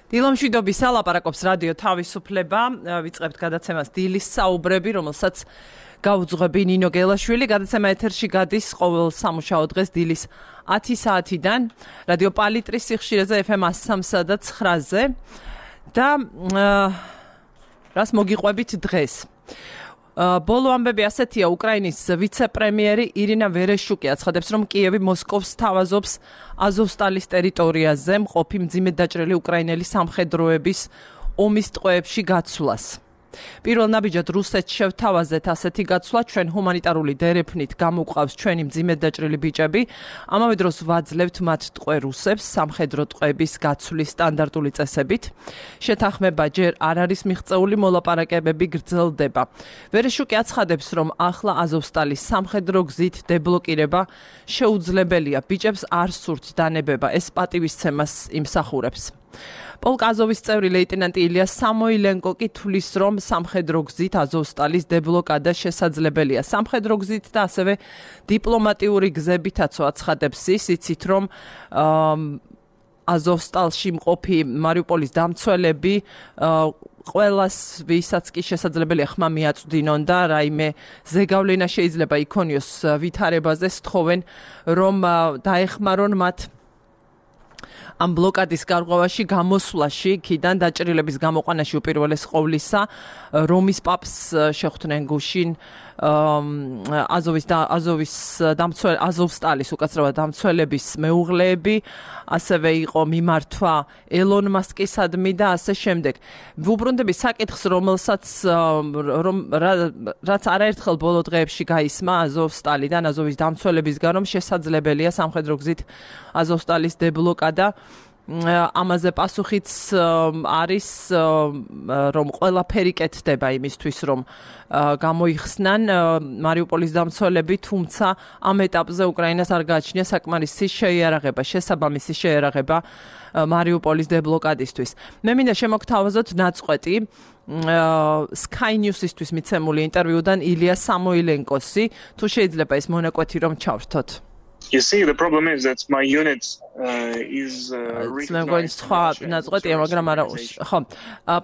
დილომშვიდობის ალაპარაკობს რადიო თავისუფლება, ვიწყებთ გადაცემას დილის საუბრები, რომელსაც გაუძღვები ნინო გელაშვილი. გადაცემა ეთერში გადის ყოველ სამუშაო დღეს დილის 10 საათიდან, რადიო პალიტრის სიხშირეზე FM 103 და 9-ზე და რას მოგიყვებით დღეს. ბოლო ამბები ასეთია, უკრაინის ვიცე-პრემიერი ირინა ვერეშუკი აცხადებს, რომ კიევი მოსკოვს თავაზობს აზოვსტალის ტერიტორიაზე მყოფი მძიმედ დაჭრილი უკრაინელი სამხედროების ომის ტყვეებში გაცვლას. პირველ ნაბიჯად რუსეთს შევთავაზეთ ასეთი გაცვლა, ჩვენ ჰუმანიტარული დერეფნით გამოვყავს ჩვენი მძიმედ დაჭრილი ბიჭები, ამავე დროს ვაძლევთ მათ ტყვე რუსებს სამხედრო ტყვეების გაცვლის სტანდარტული წესებით. შეთანხმება ჯერ არ არის მიღწეული, მოლაპარაკებები გრძელდება. ვერეშუკი აცხადებს, რომ ახლა აზოვსტალის სამხედრო გზით დებლოკირება შეუძლებელია, ბიჭებს არ სურთ დანებება, ეს პატივისცემას იმსახურებს. პოლკ აზოვის წევრი ლეიტენანტი ილია სამოილენკო კი თვლის, რომ სამხედრო გზით აზოვსტალის დებლოკადა შესაძლებელია. სამხედრო გზით და ასევე დიპლომატიური გზებითაც აცხადებს ის, იცით რომ აზოვსტალში მყოფი მარიუპოლის დამცველები ყველას ვისაც კი შესაძლებელია ხმა მიაწვდინონ და რაიმე ზეგავლენა შეიძლება იქონიოს ვითარებაზე, სთხოვენ რომ დაეხმარონ მათ ამ ბლოკადის გარღვევაში გამოსვლაში, იქიდან დაჭრილების გამოყვანაში უპირველეს ყოვლისა, რომის პაპს შეხვდნენ გუშინ აზოვსტალის უკაცრავად დამცველების მეუღლეები, ასევე იყო მიმართვა ელონ მასკისადმი და ასე შემდეგ. ვუბრუნდები საკითხს, რაც არაერთხელ ბოლო დღეებში გაისმა აზოვსტალიდან, აზოვის დამცველებისგან, რომ შესაძლებელია სამხედრო გზით აზოვსტალის დებლოკადა. ამაზე პასუხიც არის, რომ ყველაფერი კეთდება იმისთვის, რომ გამოიხსნან მარიუპოლის დამცველები, თუმცა ამ ეტაპზე უკრაინას არ გააჩნია საკმარისი შეიარაღება, შესაბამისი შეიარაღება მარიუპოლის დებლოკადისთვის. მე მინდა შემოგთავაზოთ ნაწყვეტი Sky News-ისთვის მიცემული ინტერვიუდან ილია სამოილენკოსი, თუ შეიძლება ის მონაკვეთი რომ ჩავრთოთ. You see, the problem is that my unit is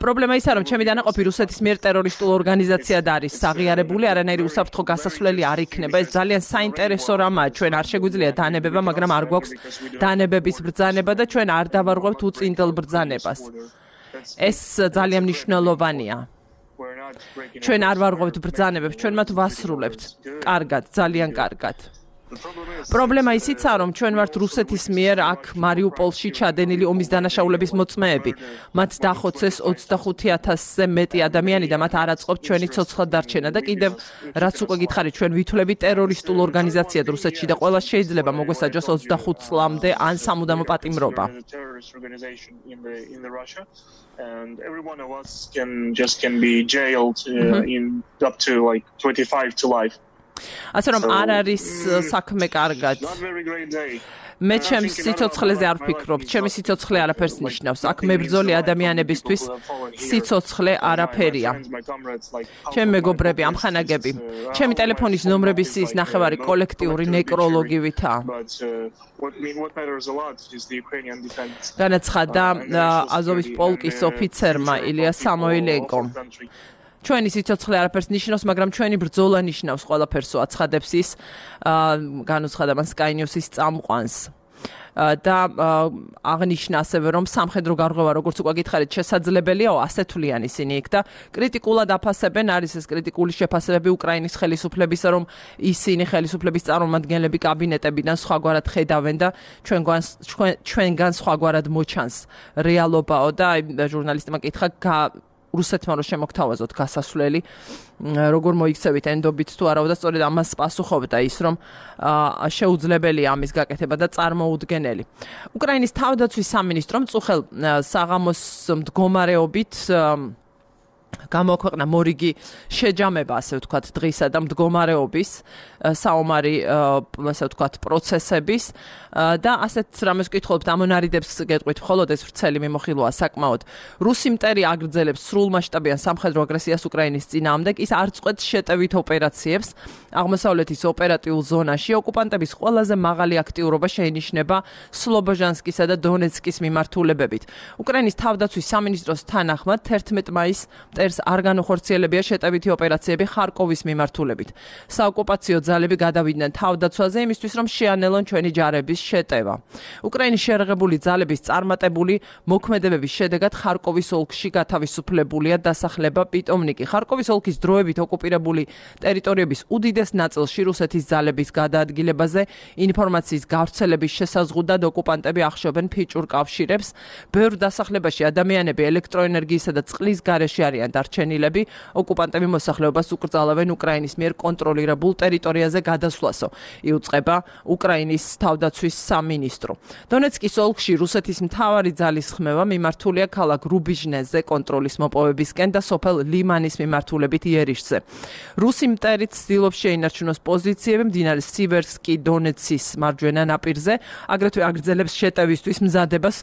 პრობლემა ისაა, რომ ჩემი დანაყოფი რუსეთის მიერ ტერორისტულ ორგანიზაციად არის აღიარებული, არანაირი უსაფრთხო გასასვლელი არ იქნება. ეს ძალიან საინტერესო რამაა, ჩვენ არ შეგვიძლია დანებება, მაგრამ არ გვაქვს დანებების ბრძანება და ჩვენ არ დავარღვევთ უწინდელ ბრძანებას. ეს ძალიან მნიშვნელოვანია. ჩვენ არ ვარღვევთ ბრძანებებს, ჩვენ მათ ვასრულებთ. კარგად, ძალიან კარგად. პრობლემა ისიცაა, რომ ჩვენ ვართ რუსეთის მიერ აქ მარიუპოლში ჩადენილი ომის დანაშაულების მოწმეები. მათ დახოცეს 25,000-ზე მეტი ადამიანი და მათ არ აწყობთ ჩვენი ცოცხლად დარჩენა და კიდევ რაც უკვე გითხარით, ჩვენ ვითვლებით ტერორისტულ ორგანიზაციად რუსეთში და ყველა შეიძლება მოგვესაჯოს 25 წლამდე ან სამუდამო პატიმრობა. And every one of us can be jailed in up to like 25 to life. ასე რომ არ არის საქმე კარგად. მე ჩემს სიცოცხლეზე არ ვფიქრობ, ჩემი სიცოცხლე არაფერს ნიშნავს. აქ მებრძოლი ადამიანებისთვის სიცოცხლე არაფერია. ჩემი მეგობრები, ამხანაგები, ჩემი ტელეფონის ნომრების ის ნახევარი კოლექტიური ნეკროლოგივითაა. განაცხადა აზოვის პოლკის ოფიცერმა ილია სამოილენკომ. ჩვენი სიცოცხლე არაფერს ნიშნავს, მაგრამ ჩვენი ბრძოლა ნიშნავს ყველაფერსო, აცხადებს ის, განუცხადა მან Sky News-ის წამყვანს. და აღნიშნა ასევე, რომ სამხედრო გარღვევა, როგორც უკვე გითხარით, შესაძლებელიაო, ასე თვლიან ისინი იქ და კრიტიკულად აფასებენ, არის ეს კრიტიკული შეფასებები უკრაინის ხელისუფლებისა, რომ ისინი ხელისუფლების წარმომადგენლები კაბინეტებიდან სხვაგვარად ხედავენ და ჩვენგან სხვაგვარად მოჩანს რეალობაო და ჟურნალისტმა კითხა რუსეთმა რომ შემოგთავაზოთ გასასვლელი, როგორ მოიქცევით ენდობით თუ არა და სწორედ ამას პასუხობდა ის, რომ შეუძლებელია ამის გაკეთება და წარმოუდგენელი. უკრაინის თავდაცვის სამინისტრომ წუხელ საღამოს მდგომარეობით გამოაქვეყნა მორიგი შეჯამება, ასე ვთქვათ, დღისა და მდგომარეობის საომარი, ასე ვთქვათ, პროცესების და ასეთ რამეს ვკითხულობთ, ამონარიდებს გეტყვით, მხოლოდ ეს ვრცელი მიმოხილვაა საკმაოდ. რუსი მტერი აგრძელებს სრულმასშტაბიან სამხედრო აგრესიას უკრაინის წინააღმდეგ, ის არ წყვეტს შეტევით ოპერაციებს აღმოსავლეთის ოპერატიულ ზონაში. ოკუპანტების ყველაზე მაღალი აქტიურობა შეინიშნება სლობოჟანსკისა და დონეცკის მიმართულებებით. უკრაინის თავდაცვის სამინისტროს თანახმად 11 მაისს მტერს არ განუხორციელებია შეტევითი ოპერაციები ხარკოვის მიმართულებით. საოკუპაციო ძალები გადავიდნენ თავდაცვაზე იმისთვის, რომ შეანელონ ჩვენი ჯარების შეტევა. უკრაინის შეერაღებული ძალების წარმატებული მოქმედებების შედეგად ხარკოვის ოლქში გათავისუფლებულია დასახლება პიტომნიკი. ხარკოვის ოლქის დროებით ოკუპირებული ტერიტორიების უდიდეს ნაწილში რუსეთის ძალების გადაადგილებაზე ინფორმაციის გავრცელების შესაზღუდად ოკუპანტები ახშობენ ფიჭურ კავშირებს. ბევრ დასახლებაში ადამიანები ელექტროენერგიისა და წყლის გარეშე არიან დარჩენილები. ოკუპანტები მოსახლეობას უკრძალავენ უკრაინის მიერ კონტროლირებულ ტერიტორიაზე გადასვლასო, იუწყება უკრაინის თავდაცვის სამინისტრო. დონეცკის ოლქში რუსეთის მთავარი ძალის ხმევა მიმართულია ქალაქ რუბიჟნეზე კონტროლის მოპოვებისკენ და სოფელ ლიმანის მიმართულებით იერიშზე. რუსი მტერიც ცდილობს შეინარჩუნოს პოზიციები მდინარე სივერსკი დონეცის მარჯვენა ნაპირზე, აგრეთვე აგრძელებს შეტევისთვის მზადებას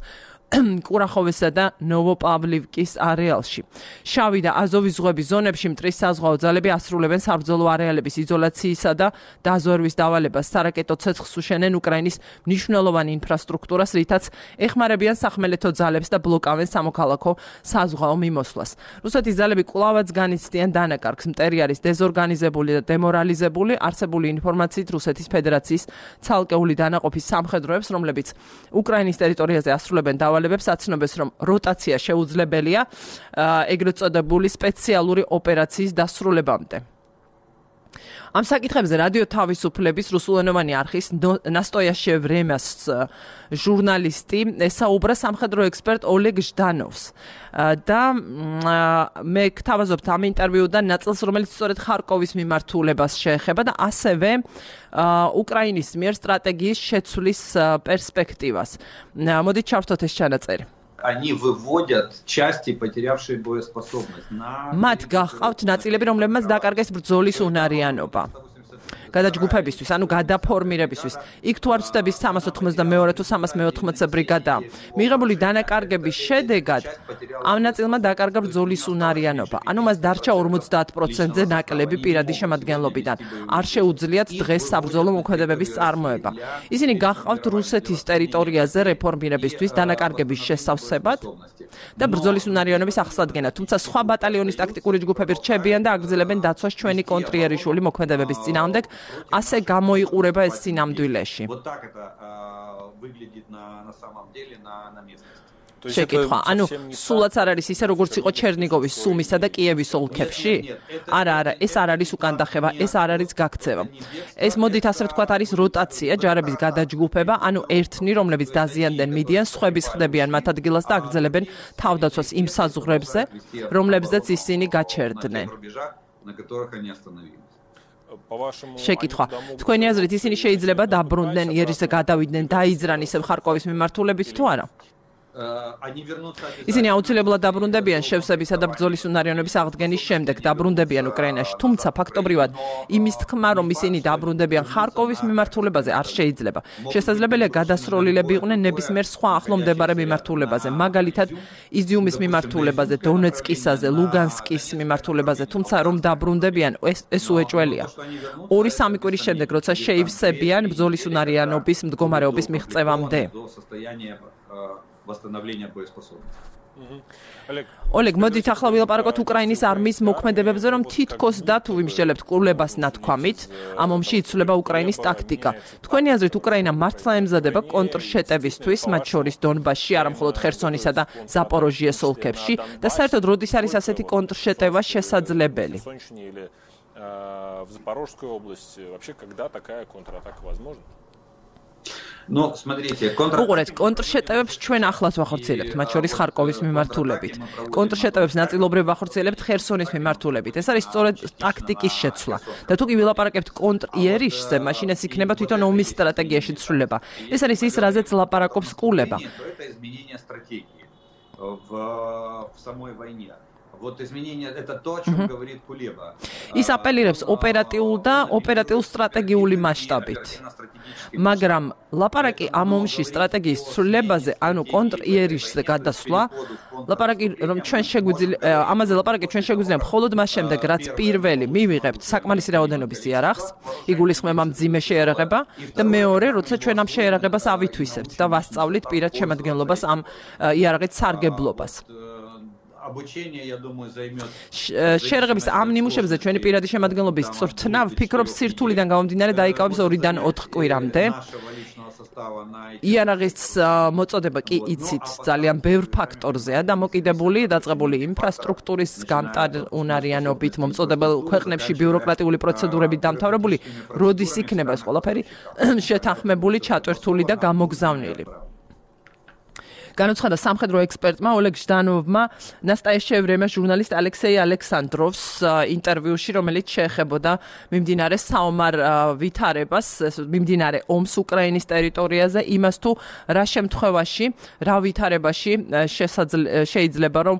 კურახოვესა და ნოვოპავლივკის არეალში. შავი და აზოვის ზღვების ზონებში მტრის საზღვაო ძალები ასრულებენ საბრძოლო არეალების იზოლაციისა და დაზვერვის დავალებას. სარაკეტო ცეცხლს უშენენ უკრაინის მნიშვნელოვან ინფრასტრუქტურას, რითაც ეხმარებიან სახმელეთო ძალებს და ბლოკავენ სამოქალაქო საზღვაო მიმოსვლას. რუსეთის ძალები კვლავაც განიცდიან დანაკარგს. მტერი არის დეზორგანიზებული და დემორალიზებული. არსებული ინფორმაციით რუსეთის ფედერაციის ცალკეული დანაყოფის სამხედროებს, რომლებიც უკრაინის ტერიტორიაზე ასრულებენ დავალებას, აცნობეს, რომ როტაცია შეუძლებელია ეგრეთ წოდებული სპეციალური ოპერაციის დასრულებამდე. ამ საკითხებზე რადიო თავისუფლების რუსულენოვანი არხის ნასტოია შევრემას ჟურნალისტი ესაუბრა სამხედრო ექსპერტ ოლეგ ჟდანოვს და მე გთავაზობთ ამ ინტერვიუდან ნაწილს, რომელიც სწორედ ხარკოვის მიმართულებას შეეხება და ასევე უკრაინის მიერ სტრატეგიის შეცვლის პერსპექტივას. მოდით ჩავთვალოთ ეს ჩანაწერი. Они выводят части, потерявшие боеспособность. მათ გახავთ ნაწილები, რომლებმაც დაკარგეს ბრძოლის უნარიანობა. გადაჯგუფებისთვის, ანუ გადაფორმირებისთვის. იქ თუ არ ვწდების 392 თუ 380 ბრიგადა. მიღებული დანაკარგების შედეგად ამ ნაწილმა დაკარგა ბრძოლის უნარიანობა. ანუ მას დარჩა 50%-ზე ნაკლები პირადი შემადგენლობიდან. არ შეუძლიათ დღეს საბრძოლო მოქმედებების წარმოება. ისინი გახავთ რუსეთის ტერიტორიაზე რეფორმირებისთვის დანაკარგების შესავსებად და ბრძოლის უნარიანობის ახსადგენა. თუმცა სხვა ბატალიონის ტაქტიკური ჯგუფები რჩებიან და აგრძელებენ დაცვას ჩვენი კონტრიერიშული მოქმედებების წინააღმდეგ. ასე გამოიყურება ეს სინამდვილეში. შეკითხვა, ანუ სულაც არ არის ისე, როგორც იყო ჩერნიგოვის, სუმისა და კიევის ოლქებში? არა, ეს არ არის უკანდახება, ეს არ არის გაქცევა. ეს მოდით ასე ვთქვათ არის როტაცია, ჯარების გადაჯგუფება, ანუ ერთნი, რომლებიც დაზიანდნენ მიდიან, სხვების ხდებიან მათ ადგილას და აგრძელებენ თავდაცვას იმ საზღვრებზე, რომლებზეც ისინი გაჩერდნენ. შეკითხვა, თქვენი აზრით ისინი შეიძლება დაბრუნდნენ იერიშზე გადავიდნენ დაიძრან ისევ ხარკოვის მიმართულებით თუ არა? ისინი აუცილებლად დაბრუნდებიან შევსებისა და ბრძოლის უნარიანობის აღდგენის შემდეგ დაბრუნდებიან უკრაინაში, თუმცა ფაქტობრივად იმის თქმა, რომ ისინი დაბრუნდებიან ხარკოვის მიმართულებაზე არ შეიძლება. შესაძლებელია გადასროლილები იყვნენ ნებისმიერ სხვა ახლო მდებარე მიმართულებაზე, მაგალითად იზიუმის მიმართულებაზე, დონეცკისაზე, ლუგანსკის მიმართულებაზე, თუმცა რომ დაბრუნდებიან, ეს უეჭველია. 2-3 კვირის შემდეგ, როცა შეივსებიან ბრძოლის უნარიანობის მდგომარეობის მიღწევამდე. восстановления боеспособности. Олег, მოდით ახლა ვილაპარაკოთ უკრაინის არმიის მოქმედებებზე, რომ თითქოს და თუ ვიმსჯელებთ კურლებას ნათქვამით, ამ ომში იცვლება უკრაინის ტაქტიკა. თქვენი აზრით, უკრაინა მართლა ემზადება კონტრშეტევისთვის, მათ შორის დონბასში, არა მხოლოდ ხერსონისა და ზაპოროჟიეს ოლქებში, და საერთოდ როდის არის ასეთი კონტრშეტევა შესაძლებელი? В Запорожской области вообще когда такая контратака возможна? Ну, смотрите, უყურეთ, კონტრშეტევებს ჩვენ ახლაც ვახორციელებთ, მათ შორის ხარკოვის მიმართულებით. კონტრშეტევებს ნაწილობრივ ვახორციელებთ ხერსონის მიმართულებით. ეს არის სწორედ ტაქტიკის შეცვლა. და თუ კი ვილაპარაკებთ კონტრიერიშზე, მაშინ ეს იქნება თვითონ ომის სტრატეგიაში ცვლილება. ეს არის ის, რაზეც ლაპარაკობს კულება. в самой войне. Вот изменение это то, о чем говорит Кулеба. ის აპელირებს ოპერატიულ და ოპერატიულ სტრატეგიული მასშტაბით. მაგრამ ლაპარაკი ამ ომში სტრატეგიის ცვლილებაზე, ანუ კონტრიერიშზე გადასვლა, ლაპარაკი რომ ჩვენ შეგვიძლია ამაზე ლაპარაკი ჩვენ შეგვიძლია მხოლოდ მას შემდეგ, რაც პირველი მივიღებთ საკმარისი რაოდენობის იარაღს, იგულისხმება მძიმე შეიარაღება და მეორე, როცა ჩვენ ამ შეიარაღებას ავითვისებთ და ვასწავლით პირად შემადგენლობას ამ იარაღით სარგებლობას. Обучение, я думаю, займет. შეერაღების ამ ნიმუშებზე ჩვენი პირადი შემადგენლობის წვრთნა ვფიქრობ სირთულიდან გამომდინარე დაიკავებს 2-დან 4 კვირამდე. იარაღის მოწოდება კი იცით ძალიან ბევრ ფაქტორზეა დამოკიდებული, დაწყებული ინფრასტრუქტურის გამტარუნარიანობით, მომწოდებელ ქვეყნებში ბიუროკრატიული პროცედურებით დამთავრებული, როდის იქნება ეს ყველაფერი შეთანხმებული, ჩატვირთული და გამოგზავნილი. განუცხადა სამხედრო ექსპერტმა ოლეგ ჟდანოვმა ნასტაიეშჩე ვრემე ჟურნალისტ ალექსეი ალექსანდროვს ინტერვიუში, რომელიც შეეხებოდა მიმდინარე საომარ ვითარებას, მიმდინარე ომს უკრაინის ტერიტორიაზე, იმას თუ რა შემთხვევაში, რა ვითარებაში შეიძლება რომ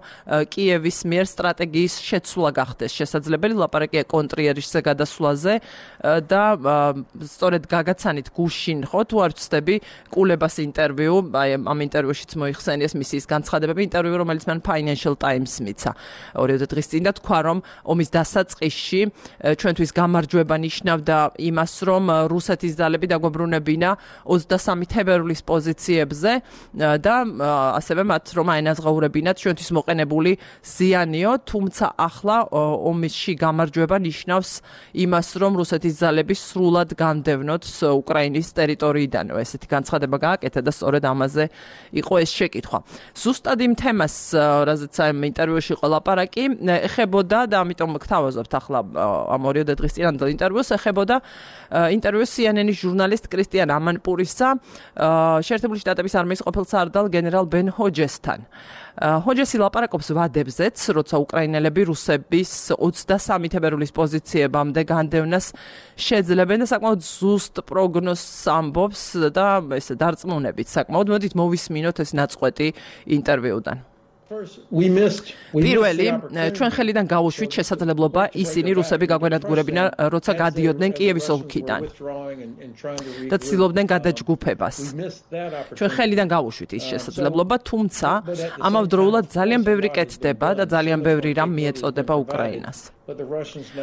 კიევის მიერ სტრატეგიის შეცვლა გახდეს შესაძლებელი, ლაპარაკია კონტრიერიშზე გადასვლაზე და სწორედ გაგაცანით გუშინ ხო თუ არ ვცდები კულებას ინტერვიუ, აი ამ ინტერვიუშიც მოიხსენიეს მისის განცხადებები, ინტერვიუ, რომელიც მან Financial Times მიცა 2 დღის წინ და თქვა, რომ ომის დასაწყისში ჩვენთვის გამარჯვება ნიშნავდა იმას, რომ რუსეთის ძალები დაგვებრუნებინა 23 თებერვლის პოზიციებზე და ასევე მათ რომ აენაზღაურებინათ ჩვენთვის მოყენებული ზიანიო, თუმცა ახლა ომისში გამარჯვება ნიშნავს იმას, რომ რუსეთის ძალები სრულად განდევნოთ უკრაინის ტერიტორიიდან. ესეთი განცხადება გააკეთა და სწორედ ამაზე იყო ეს შეკითხვა. ზუსტად იმ თემას, რაზეც ამ ინტერვიუში იყო ლაპარაკი, ეხებოდა და ამიტომ გთავაზობთ ახლა ამ 2 დღის წინანდელ ინტერვიუს, ეხებოდა ინტერვიუ CNN-ის ჟურნალისტ კრისტიან ამანპურისა შეერთებული შტატების არმიის ყოფილ სარდალ გენერალ ბენ ჰოჯესთან. ჰოჯესი ლაპარაკობს ვადებზეც, როცა უკრაინელები რუსების 23 თებერვლის პოზიციებამდე განდევნას შეძლებენ და საკმაოდ ზუსტ პროგნოზს ამბობს და ესე დარწმუნებით საკმაოდ. მოდით მოვისმინოთ ეს ნაწყვეტი ინტერვიუდან. პირველი, ჩვენ ხელიდან გავუშვით შესაძლებლობა ისინი რუსები გაგვენადგურებინა, როცა გადიოდნენ კიევის ოლქიდან და ცდილობდნენ გადაჯგუფებას. ჩვენ ხელიდან გავუშვით ის შესაძლებლობა, თუმცა ამავდროულად ძალიან ბევრი კეთდება და ძალიან ბევრი რამ მიეწოდება უკრაინას.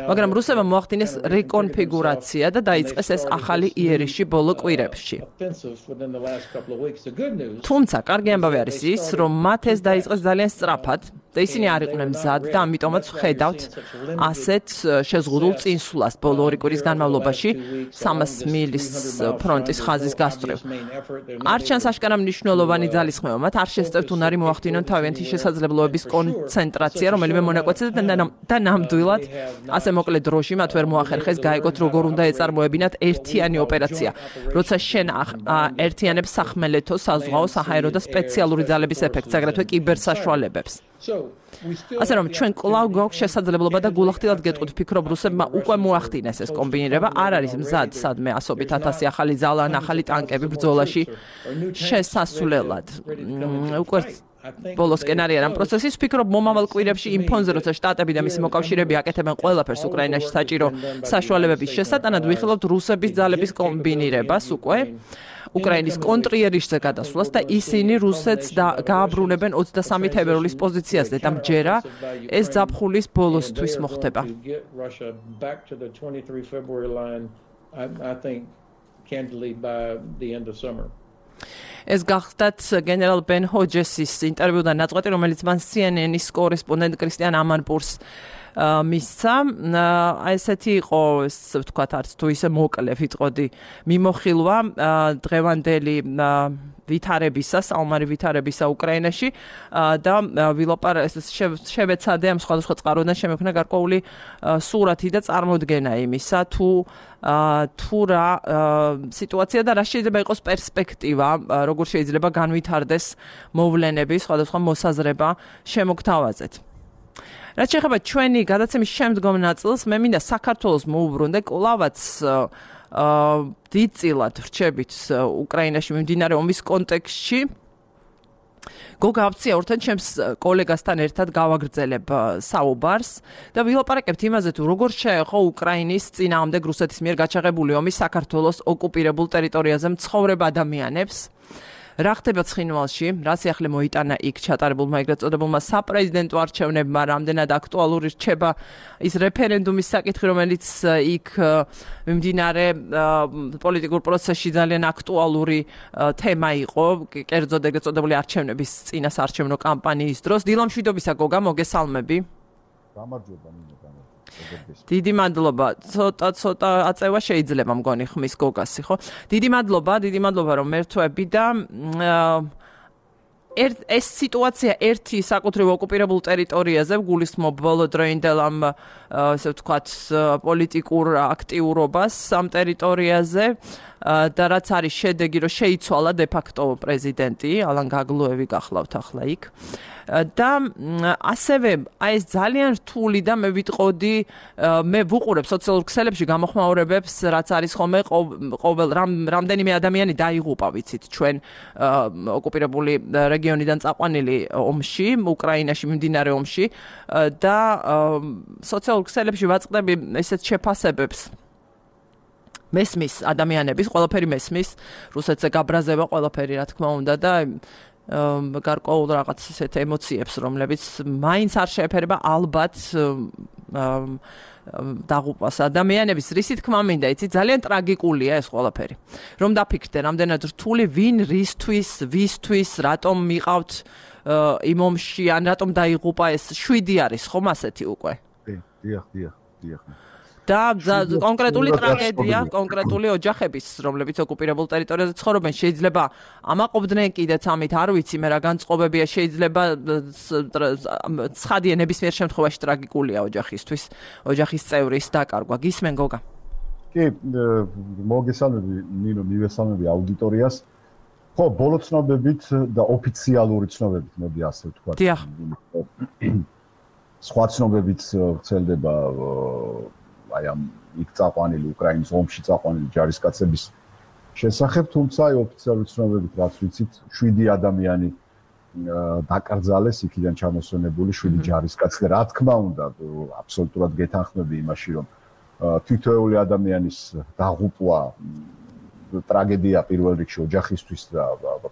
მაგრამ რუსებმა მოახდინეს რეკონფიგურაცია და დაიწყეს ეს ახალი იერიში ბოლო კვირებში. თუმცა კარგი ამბავი არის ის, რომ მათ ეს დაიწყეს ძალიან სწრაფად და ისინი არ იყვნენ მზად და ამიტომაც ვხედავთ ასეთ შეზღუდულ წინსვლას ბოლო 2 კვირის განმავლობაში 300 მილის ფრონტის ხაზის გასწვრივ. არ ჩანს აშკარა მნიშვნელოვანი ძალისხმევა, მათ არ შესწევთ უნარი მოახდინონ თავიანთი შესაძლებლობების კონცენტრაცია, რომელიმე მონაკვეთზე და ნამდვილად ასე მოკლე დროში მათ ვერ მოახერხეს გაიგოთ როგორ უნდა ეწარმოებინათ ერთიანი ოპერაცია, როცა შენ ერთიანებს სახმელეთო, საზღვაო, საჰაერო და სპეციალური ძალების ეფექტს, აგრეთვე კიბერსაშუალებებს. ასე რომ ჩვენ კვლავ გვაქვს შესაძლებლობა და გულახდილად გეტყვით, ვფიქრობ რუსებმა უკვე მოახდინეს ეს კომბინირება, არ არის მზად სადმე ასობით 1000 ახალი ძალა ან ახალი ტანკები ბრძოლაში შესასვლელად. უკვე ბოლოსკენ არის ამ პროცესის, ვფიქრობ მომავალ კვირებში იმ ფონზე, როცა შტატები და მისი მოკავშირეები აკეთებენ ყველაფერს უკრაინაში საჭირო საშუალებების შესატანად, ვიხილავთ რუსების ძალების კომბინირებას უკვე უკრაინის კონტრიერიშზე გადასვლას და ისინი რუსეთს გააბრუნებენ 23 თებერვლის პოზიციაზე და მჯერა ეს ზაფხულის ბოლოსთვის მოხდება. ეს გახდათ გენერალ ბენ ჰოჯესის ინტერვიუდან ნაწყვეტი, რომელიც მან CNN-ის კორესპონდენტ კრისტიან ამანპურს მისცა. ესეთი იყო, ვთქვათ, არც თუ ისე მოკლე ვიტყოდი მიმოხილვა დღევანდელი ვითარებისა, საომარი ვითარებისა უკრაინაში და შევეცადე ამ სხვადასხვა წყაროდან შემექმნა გარკვეული სურათი და წარმოდგენა იმისა, თუ რა სიტუაცია და რა შეიძლება იყოს პერსპექტივა, როგორ შეიძლება განვითარდეს მოვლენები, სხვადასხვა მოსაზრება შემოგთავაზეთ. რაც შეეხება ჩვენი გადაცემის შემდგომ ნაწილს, მე მინდა საქართველოს მოუბრუნდე კვლავაც დიდწილად ვრჩებით უკრაინაში მიმდინარე ომის კონტექსტში გოგა აფცია ორთან ჩემს კოლეგასთან ერთად გავაგრძელებ საუბარს და ვილაპარაკებთ იმაზე თუ როგორ შეეხო უკრაინის წინააღმდეგ რუსეთის მიერ გაჩაღებული ომის საქართველოს ოკუპირებულ ტერიტორიაზე მცხოვრებ ადამიანებს. რა ხდება ცხინვალში, რა სიახლე მოიტანა იქ ჩატარებულმა ეგრეთ წოდებულმა საპრეზიდენტო არჩევნებმა, რამდენად აქტუალური რჩება ის რეფერენდუმის საკითხი, რომელიც იქ მიმდინარე პოლიტიკურ პროცესში ძალიან აქტუალური თემა იყო, კერძოდ ეგრეთ წოდებული არჩევნების წინასაარჩევნო კამპანიის დროს. დილამშვიდობისა გოგა, მოგესალმები. გამარჯობა ნინო. დიდი მადლობა. ცოტა აწევა შეიძლება მგონი ხმის გოგასი, ხო? დიდი მადლობა რომ მერთვები და ეს სიტუაცია ერთი საკუთრივ ოკუპირებულ ტერიტორიაზე გულისხმობ ბოლოდროინდელ ამ ესე ვთქვათ პოლიტიკურ აქტიურობას ამ ტერიტორიაზე და რაც არის შედეგი რომ შეიცვალა დე-ფაქტო პრეზიდენტი ალან გაგლუევი გახლავთ ახლა იქ და ასევე აი ეს ძალიან რთული და მე ვიტყოდი მე ვუყურებ სოციალურ ქსელებში გამოხმაურებებს რაც არის ხოლმე ყოველ რამდენიმე ადამიანი დაიღუპა ვიცით ჩვენ ოკუპირებული რეგიონიდან წაყვანილი ომში უკრაინაში მიმდინარე ომში და სოციალურ ქსელებში ვაწყდები ესეთ შეფასებებს მესმის ადამიანების ყველაფერი მესმის რუსეთზე გაბრაზება ყველაფერი რა თქმა უნდა და გარკვეულ რაღაც ისეთ ემოციებს რომლებიც მაინც არ შეეფერება ალბათ დაღუპვას ადამიანების რის თქმა მინდა იცი ძალიან ტრაგიკულია ეს ყველაფერი რომ დაფიქრდე რამდენად რთული ვინ ვისთვის რატომ მიყავთ იმ ომში ან რატომ დაიღუპა ეს 7 არის ხომ ასეთი უკვე დიახ და კონკრეტული ტრაგედია, კონკრეტული ოჯახების, რომლებიც ოკუპირებულ ტერიტორიაზე ცხოვრობენ, შეიძლება ამაყობდნენ კიდეც ამით, არ ვიცი, მე რა განწყობებია, შეიძლება ცხადია ნებისმიერ შემთხვევაში ტრაგიკულია ოჯახისთვის, ოჯახის წევრის დაკარგვა. გისმენ გოგა? კი, მოგესალმები, ნინო, მივესალმები აუდიტორიას. ხო, ბოლო ცნობებით და ოფიციალური ცნობებით, მოდი ასე ვთქვა. დიახ. სხვა ცნობებით ვრცელდება აი ამ იქ წაყვანილი უკრაინის ომში წაყვანილი ჯარისკაცების შესახებ, თუმცა აი ოფიციალური ცნობებით რაც ვიცით 7 ადამიანი დაკრძალეს იქიდან ჩამოსვენებული 7 ჯარისკაცი და რა თქმა უნდა აბსოლუტურად გეთანხმები იმაში რომ თითოეული ადამიანის დაღუპვა ტრაგედია პირველ რიგში ოჯახისთვის და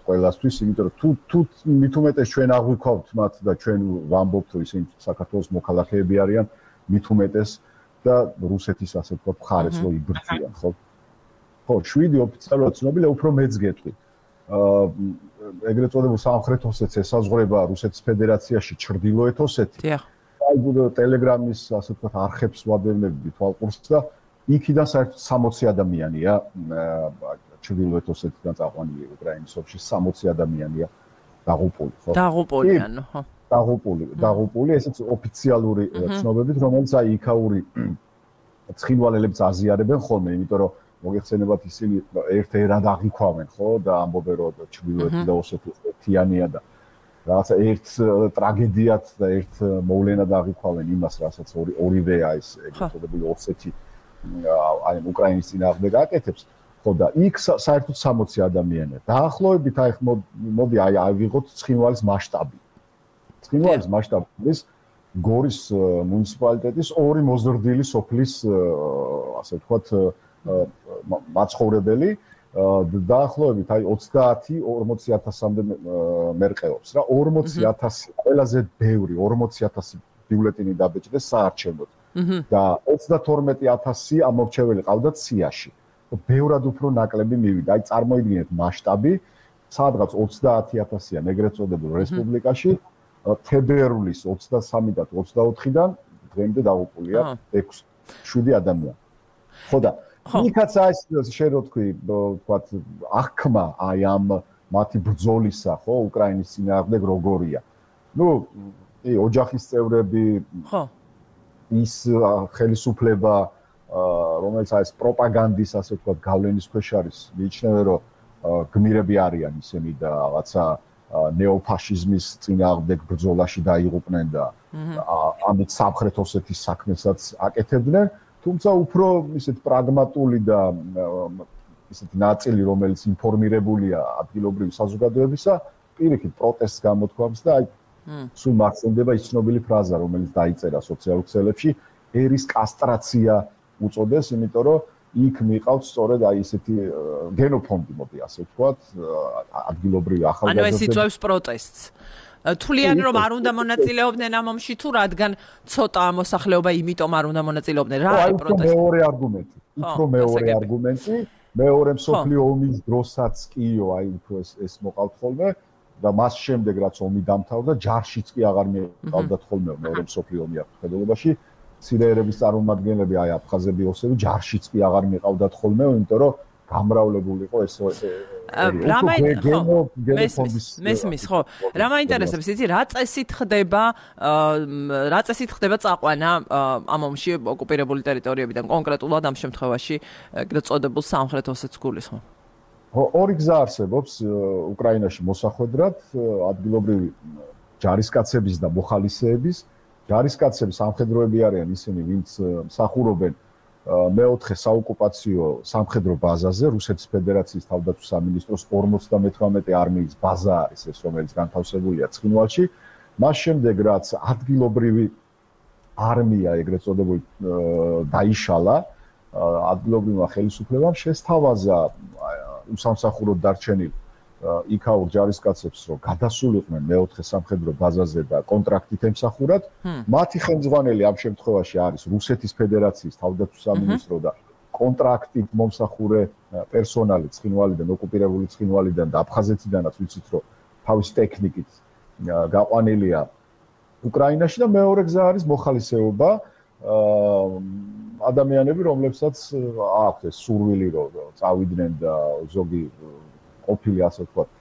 ყველასთვის, იმიტომ რომ თუ მით უმეტეს ჩვენ აღვიქვავთ მათ და ჩვენ ვამბობთ რომ ისინი საქართველოს მოქალაქეები არიან, მით უმეტეს და რუსეთის ასე ვთქვათ მხარეს რო იბრძვიან, ხო? ხო, 7 ოფიციალურად ცნობილია, უფრო მეც გეტყვი. ეგრეთ წოდებულ სამხრეთ ოსეთს ესაზღვრება რუსეთის ფედერაციაში ჩრდილოეთ oseti. დიახ. აი ტელეგრამის ასე ვთქვათ არხებს ვადევნებდი თვალყურს და იქიდან საერთოდ 60 ადამიანია ჩრდილოეთ oseti-დან წაყვანილი უკრაინის ომში 60 ადამიანია დაღუპული, ხო? დაღუპული ანუ, ხო. დაღუპული, ესეც ოფიციალური ცნობებით, რომელიც აი იქაური ცხინვალელებს აზიარებენ ხოლმე, იმიტომ რომ მოგეხსენებათ ისინი ერთ-ერთად აღიქვამენ, ხო, და ამბობენ რომ ჩრდილოეთი და ოსეთი ერთიანია და რაღაცა ერთ ტრაგედიად და ერთ მოვლენად აღიქვამენ იმას, რასაც ორივე აი ეს ეგრეთ წოდებული ოსეთი აი უკრაინის წინააღმდეგ აკეთებს. ხო და იქ საერთოდ 60 ადამიანია. დაახლოებით აი მოდი აი ავიღოთ ცხინვალის მასშტაბი. ცხინვალის მასშტაბი არის გორის მუნიციპალიტეტის 2 მოზრდილი სოფლის ასე ვთქვათ მაცხოვრებელი დაახლოებით აი 30-40000-მდე მერყეობს რა 40000 ყველაზე ბევრი 40000 ბიულეტინი დაბეჭდეს საარჩევნოდ და 32000 ამორჩეველი ყავდათ სიაში. ბევრად უფრო ნაკლები მივიდა. აი წარმოიდგინეთ მასშტაბი, სადღაც 30000-იან ეგრეთ წოდებულ რესპუბლიკაში თებერვლის 23 და 24-დან დღემდე დაღუპულია 7 ადამიანი. ხო და იქაც ეს შენ რო თქვი, ვთქვათ, აღქმა აი ამ მათი ბრძოლისა, ხო, უკრაინის წინააღმდეგ როგორია. ნუ, ოჯახის წევრები, ხო. ის ხელისუფლება, რომელიც აი ეს პროპაგანდის, ასე ვთქვათ, გავლენის ქვეშ არის, მიიჩნევენ, რომ გმირები არიან ისინი და რაღაცა ნეოფაშიზმის წინააღმდეგ ბრძოლაში დაიღუპნენ და ამით სამხრეთ ოსეთის საქმესაც აკეთებდნენ, თუმცა უფრო ისეთ პრაგმატული და ისეთი ნაწილი, რომელიც ინფორმირებულია ადგილობრივი საზოგადოებისა, პირიქით პროტესტს გამოთქვამს და აი სულ მახსენდება ის ცნობილი ფრაზა, რომელიც დაიწერა სოციალურ ქსელებში, ერის კასტრაცია უწოდეს, იმიტომ რომ იქ მიყავთ სწორედ აი ესეთი გენოფონდი, მოდი ასე ვთქვათ, ადგილობრივი ახალგაზრდები. ანუ ეს იწვევს პროტესტს. თვლიან რომ არ უნდა მონაწილეობდნენ ამ ომში თუ რადგან ცოტა მოსახლეობა იმიტომ არ უნდა მონაწილეობდნენ. რა არის პროტესტი? მეორე არგუმენტი. უფრო მეორე არგუმენტი, მეორე მსოფლიო ომის დროსაც კიო, აი უფრო ეს მოყავთ ხოლმე და მას შემდეგ რაც ომი დამთავრდა, ჯარშიც კი აღარ მიყავდათ ხოლმე მეორე მსოფლიო ომი აფხაზეთობაში. ცირეერების წარმომადგენლები, აი აფხაზები, ოსები ჯარშიც კი აღარ მიყავდათ ხოლმე, იმიტომ რომ გამრავლებული იყო ეს მესმის ხო რა მაინტერესებს იცი რა წესით ხდება წაყვანა ამ ომში ოკუპირებული ტერიტორიებიდან კონკრეტულად ამ შემთხვევაში ეგრეთ წოდებულ სამხრეთ ოსეთს გულისხმობ ორი გზა არსებობს უკრაინაში მოსახვედრად ადგილობრივი ჯარისკაცების და მოხალისეების ჯარისკაცები სამხედროები არიან ისინი ვინც მსახურობენ მეოთხე საოკუპაციო სამხედრო ბაზაზე რუსეთის ფედერაციის თავდაცვის სამინისტროს 58 არმიის ბაზა არის ეს რომელიც განთავსებულია ცხინვალში მას შემდეგ რაც ადგილობრივი არმია ეგრეთ წოდებული დაიშალა ადგილობრივმა ხელისუფლებამ შესთავაზა უსამსახუროდ დარჩენილ იქაურ ჯარისკაცებს რომ გადასულიყვნენ მეოთხე სამხედრო ბაზაზე და კონტრაქტით ემსახურათ მათი ხელმძღვანელი ამ შემთხვევაში არის რუსეთის ფედერაციის თავდაცვის სამინისტრო და კონტრაქტით მომსახურე პერსონალი ცხინვალიდან ოკუპირებული ცხინვალიდან და აფხაზეთიდანაც ვიცით რომ თავის ტექნიკით გაყვანილია უკრაინაში და მეორე გზა არის მოხალისეობა ადამიანები რომლებსაც აქვთ ეს სურვილი რომ წავიდნენ და ზოგი ყოფილი ასე ვთქვათ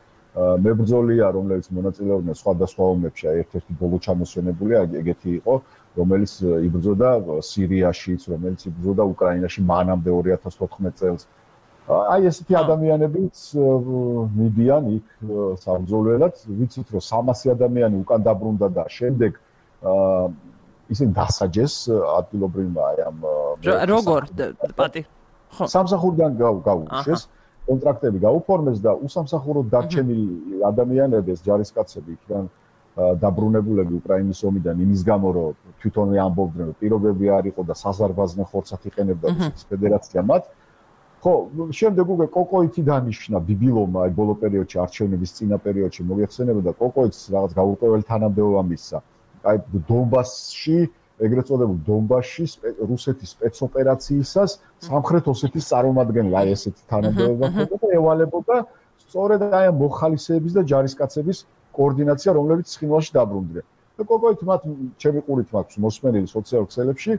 მებრძოლია რომლებიც მონაწილეობდნენ სხვადასხვა ომებში ერთ-ერთი ბოლო ჩამოსვენებული ეგეთი იყო რომელიც იბრძოდა სირიაშიც რომელიც იბრძოდა უკრაინაში მანამდე 2014 წელს აი ესეთი ადამიანებიც მიდიან იქ საბრძოლველად ვიცით რომ 300 ადამიანი უკან დაბრუნდა და შემდეგ ისინი დასაჯეს ადგილობრივმა აი ამ როგორ პატი ხო სამსახურიდან გაუშვეს კონტრაქტები გაუფორმეს და უსამსახუროდ დარჩენილი ადამიანები ეს ჯარისკაცები იქიდან დაბრუნებულები უკრაინის ომიდან იმის გამო რომ თვითონვე ამბობდნენ რომ პირობები არ იყო და საზარბაზნე ხორცად იყენებდა რუსეთის ფედერაცია მათ ხო შემდეგ უკვე კოკოითი დანიშნა ბიბილოვმა აი ბოლო პერიოდში არჩევნების წინა პერიოდში მოიხსენებოდა კოკოითს რაღაც გაურკვეველი თანამდებობა მისცა აი დონბასში ეგრეთ წოდებულ დონბასში რუსეთის სპეცოპერაციისას სამხრეთ ოსეთის წარმომადგენელი აი ესეთი თანამდებობა ხდება და ევალებოდა სწორედ აი ამ მოხალისეების და ჯარისკაცების კოორდინაცია რომლებიც ცხინვალში დაბრუნდნენ და კოკოით მათ ჩემი ყურით მაქვს მოსმენილი სოციალურ ქსელებში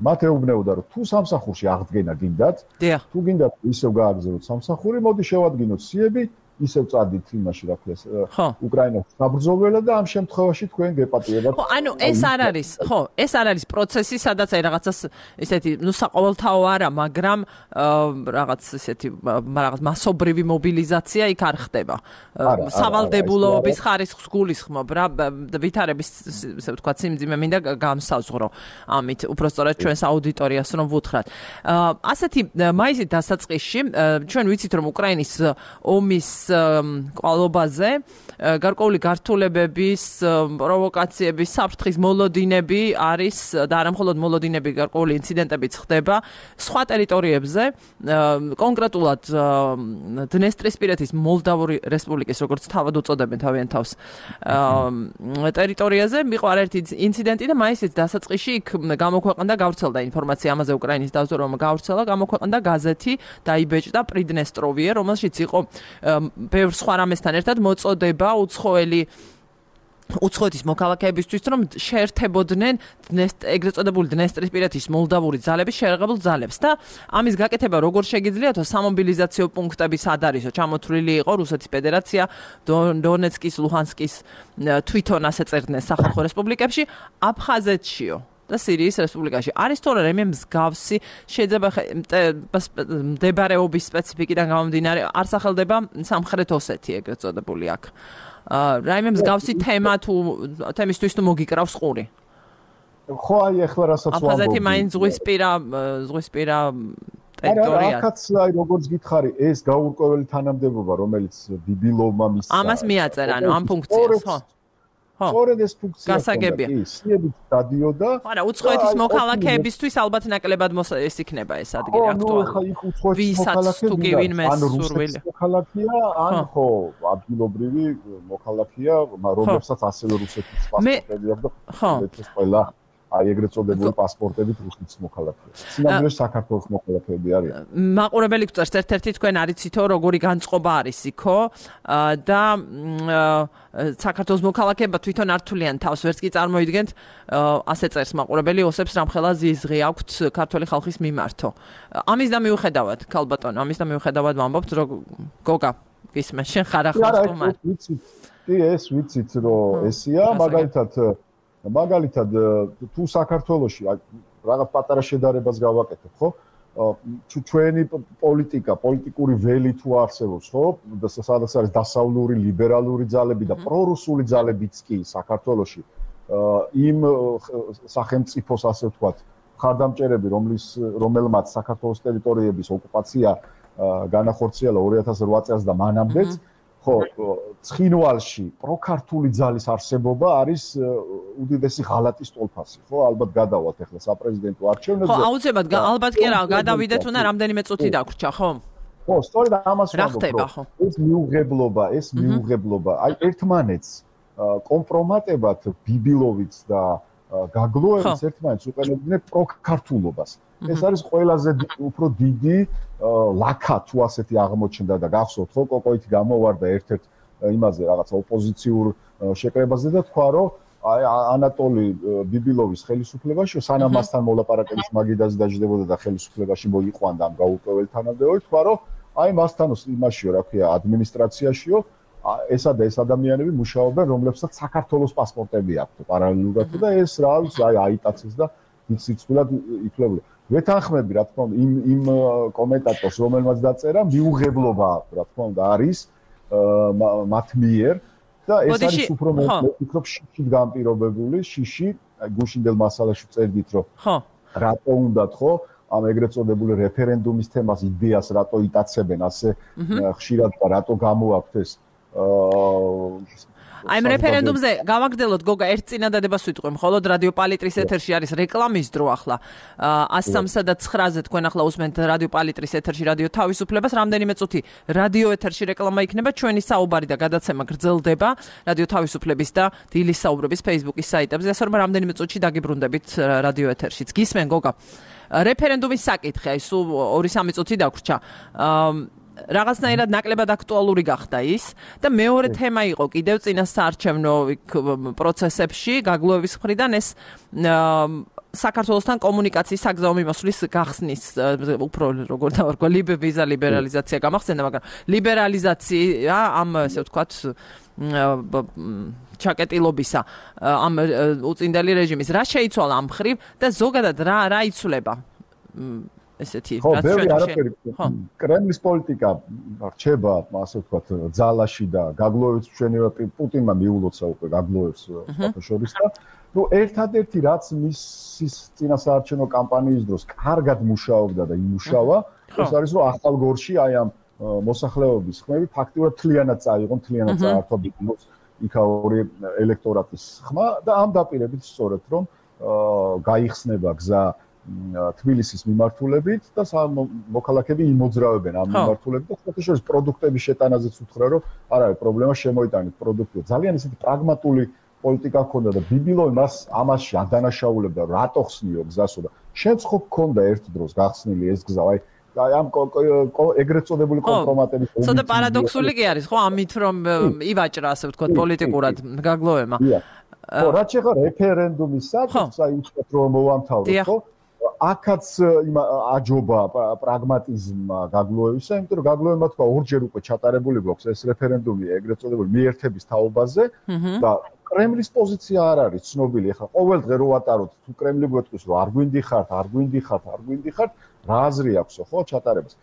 მათ ეუბნებოდა რომ თუ სამსახურში აღდგენა გინდათ თუ გინდათ ისევ გააგზავნოთ სამსახური მოდი შევადგინოთ სიები ისევ წადით იმაში რა ქვია უკრაინაში საბრძოლველად და ამ შემთხვევაში თქვენ გეპატიებათ ხო ანუ ეს არ არის ხო ეს არ არის პროცესი სადაც აი რაღაცას ისეთი ნუ საყოველთაო არა მაგრამ რაღაც ისეთი რაღაც მასობრივი მობილიზაცია იქ არ ხდება სავალდებულოების ხარისხს გულისხმობ რა ვითარების ესე ვთქვათ სიმძიმე მინდა გამსაზღვრო ამით უბრალოდ ჩვენს აუდიტორიას რომ ვუთხრათ ასეთი მაისის დასაწყისში ჩვენ ვიცით რომ უკრაინის ომის კვალობაზე გარკვეული გართულებების პროვოკაციების საფრთხის მოლოდინები არის და არა მხოლოდ მოლოდინები გარკვეული ინციდენტებიც ხდება სხვა ტერიტორიებზე კონკრეტულად დნესტრისპირეთის მოლდავური რესპუბლიკის როგორც თავად უწოდებენ თავიანთ თავს ტერიტორიაზე მიყვა ერთი ინციდენტი და მაისის დასაწყისში იქ გამოქვეყნდა გავრცელდა ინფორმაცია ამაზე უკრაინის დავზრდობა გავრცელა გამოქვეყნდა გაზეთი დაიბეჭდა პრიდნესტროვიე რომელშიც იყო ბევრ სხვა რამესთან ერთად მოწოდება უცხოეთის მოქალაქეებისთვის რომ შეერთებოდნენ ეგრეთ წოდებული დნესტრისპირეთის მოლდავური ძალების შეერაღებულ ძალებს და ამის გაკეთება როგორ შეგიძლიათო სამობილიზაციო პუნქტები სად არისო ჩამოთვლილი იყო რუსეთის ფედერაცია დონეცკის ლუჰანსკის თვითონ ასე წერდნენ სახალხო რესპუბლიკებში აფხაზეთშიო და სირიის რესპუბლიკაში არის თორე რაიმე მსგავსი შეიძლება მდებარეობის სპეციფიკიდან გამომდინარე არ სახელდება სამხრეთ ოსეთი ეგრეთ წოდებული აქ რაიმე მსგავსი თემა თუ თემისთვის თუ მოგიკრავს ყური ხო აი ახლა რასაც ვამბობ აფხაზეთი მაინც ზღვისპირა ტერიტორიად. აქაც აი როგორც გითხარი, ეს გაურკვეველი თანამდებობა, რომელიც ბიბილოვმა მისცა. ამას მიაწერა, ანუ ამ ფუნქციას, ხო? სწორედ ეს ფუნქცია გასაგებია. კი, სიებით დადიოდა. არა, უცხოეთის მოქალაქეებისთვის ალბათ ნაკლებად ეს იქნება ეს ადგილი აქტუალური. ხო, იქ უცხოეთის მოქალაქეები ან რუსეთის მოქალაქეა, ან ხო, ადგილობრივი მოქალაქეა, რომელსაც ასევე რუსეთის პასპორტები აქვს და ეს ყველა აი ეგრეთ წოდებული პასპორტებით რუსეთის მოქალაქეა. სინამდვილეში საქართველოს მოქალაქეები არიან. მაყურებელი გვწერს ერთ-ერთი თქვენ არიცითო როგორი განწყობა არის იქო და საქართველოს მოქალაქეება თვითონ ართულიან თავს ვერც კი წარმოიდგენთ ასე წერს მაყურებელი ოსებს რამხელა ზიზღი აქვთ ქართველი ხალხის მიმართო. ამის და მიუხედავად ქალბატონო ამის და მიუხედავად ვამბობთ რომ გოგა გისმენთ შენ ხარ ახლა სტუმარი. კი ეს ვიცით რომ ესია მაგალითად თუ საქართველოში რაღაც პატარა შედარებას გავაკეთებ ხო ჩვენი პოლიტიკური ველი თუ არსებობს ხო სადაც არის დასავლური ლიბერალური ძალები და პრორუსული ძალებიც კი საქართველოში იმ სახელმწიფოს ასე ვთქვათ ხარდამჭერები რომელმაც საქართველოს ტერიტორიების ოკუპაცია განახორციელა 2008 წელს და მანამდეც ხო, ცხინვალში პროქართული ძალის არსებობა არის უდიდესი ღალატის ტოლფასი, ხო? ალბათ გადავალთ ახლა საპრეზიდენტო არჩევნებზე. ხო, აუცილებლად, ალბათ კი რა, გადავიდეთ უნდა რამდენიმე წუთი დაგვრჩა, ხო? ხო, სწორედ ამას ვამბობ. ეს მიუღებლობა, აი ერთმანეთს კომპრომატებად ბიბილოვიც და გაგლოევიც ერთმანეთს უყენებდნენ პროქართულობას. ეს არის ყველაზე უფრო დიდი ლაკა თუ ასეთი აღმოჩნდა და გახსოვთ ხო კოკოითი გამოვარდა ერთ-ერთ იმაზე რაღაცა ოპოზიციურ შეკრებაზე და თქვა რომ აი ანატოლი ბიბილოვის ხელისუფლებაში სანამ მასთან მოლაპარაკების მაგიდაზე დაждდებოდა და ხელისუფლებაში მოიყვანდა ამ გაურკვეველ თანამდებობებს თქვა რომ აი მასთან იმაშიო რა ქვია ადმინისტრაციაშიო ესა და ეს ადამიანები მუშაობენ რომლებსაც საქართველოს პასპორტები აქვთ პარალელურად და ეს რა არის აი აიტაცეს და სიცილად ითვლება ვეთანხმები რა თქმა უნდა იმ კომენტატორს რომელმაც დაწერა მიუღებლობა რა თქმა უნდა არის მათ მიერ და ეს არის უფრო მე ვფიქრობ შიშით განპირობებული შიში გუშინდელ მასალაში წერდით რომ ხო რატო უნდათ ხო ამ ეგრეთ წოდებული რეფერენდუმის თემას იდეას რატო იტაცებენ ასე ხშირად და რატო გამოაქვთ ეს აი ამ რეფერენდუმზე გავაგრძელოთ გოგა ერთ წინადადებას ვიტყვი მხოლოდ რადიო პალიტრის ეთერში არის რეკლამის დრო ახლა 103-სა და 9-ზე თქვენ ახლა უსმენთ რადიო პალიტრის ეთერში რადიო თავისუფლებას რამდენიმე წუთი რადიო ეთერში რეკლამა იქნება ჩვენი საუბარი და გადაცემა გრძელდება რადიო თავისუფლების და დილის საუბრების Facebook-ის საიტებზე ასე რომ რამდენიმე წუთში დაგიბრუნდებით რადიო ეთერშიც გისმენ გოგა რეფერენდუმის საკითხი აი სულ 2-3 წუთი დაგვრჩა რაღაცნაირად ნაკლებად აქტუალური გახდა ის და მეორე თემა იყო კიდევ წინა საარჩევნო პროცესებში გაგლოევის მხრიდან ეს საქართველოსთან კომუნიკაციის საგზაო მიმოსვლის გახსნის უფრო როგორ დავარქვა ვიზა ლიბერალიზაცია გამახსენდა მაგრამ ლიბერალიზაცია ამ ესე ვთქვათ ჩაკეტილობისა ამ უწინდელი რეჟიმის რა შეიცვალა ამ ხრივ და ზოგადად რა იცვლება ესეთი რაც ჩვენ კრემლის პოლიტიკა რჩება ასე ვთქვათ ძალაში და გაგლოევს ჩვენია პუტინმა მიულოცა უკვე გაგლოევს ფოტოშორის და ნუ ერთადერთი რაც მისის წინასაარჩევნო კამპანიის დროს კარგად მუშაობდა და იმუშავა ეს არის რომ ახალგორში აი ამ მოსახლეობის ხმები ფაქტიურად თლიანად წაიღონ თლიანად წაართვა ბიბილოს იქაური ელექტორატის ხმა და ამ დაპირებით სწორედ რომ გაიხსნება გზა თბილისის მიმართულებით და მოქალაქეები იმოძრავებენ ამ მიმართულებით და ფაქტობრივად პროდუქტების შეტანაზეც უთხრა რომ არ არის პრობლემა შემოიტანეთ პროდუქტი ძალიან ისეთი პრაგმატული პოლიტიკა ჰქონდა და ბიბილოვი მას ამაში ადანაშაულებდა რატო ხსნიო გზასო და შენც ხო გქონდა ერთ დროს გახსნილი ეს გზა აი ამ ეგრეთ წოდებული კომპრომატების ცოტა პარადოქსული კი არის ხო ამით რომ ივაჭრა ასე ვთქვათ პოლიტიკურად გაგლოევმა ხო რაც შეხა რეფერენდუმის საკითხს აი უცბად რომ მოვამთავროთ ხო აქაც აჯობა პრაგმატიზმმა გაგლოევისა, იმიტომ რომ გაგლოევმა თქვა ორჯერ უკვე ჩატარებული გვაქვს ეს რეფერენდუმი ეგრეთ წოდებული მიერთების თაობაზე და კრემლის პოზიცია არ არის ცნობილი. ეხლა ყოველ დღე რო ვატაროთ თუ კრემლი გვეტყვის რომ არ გვინდიხართ, რა აზრი აქვსო ხო ჩატარებას.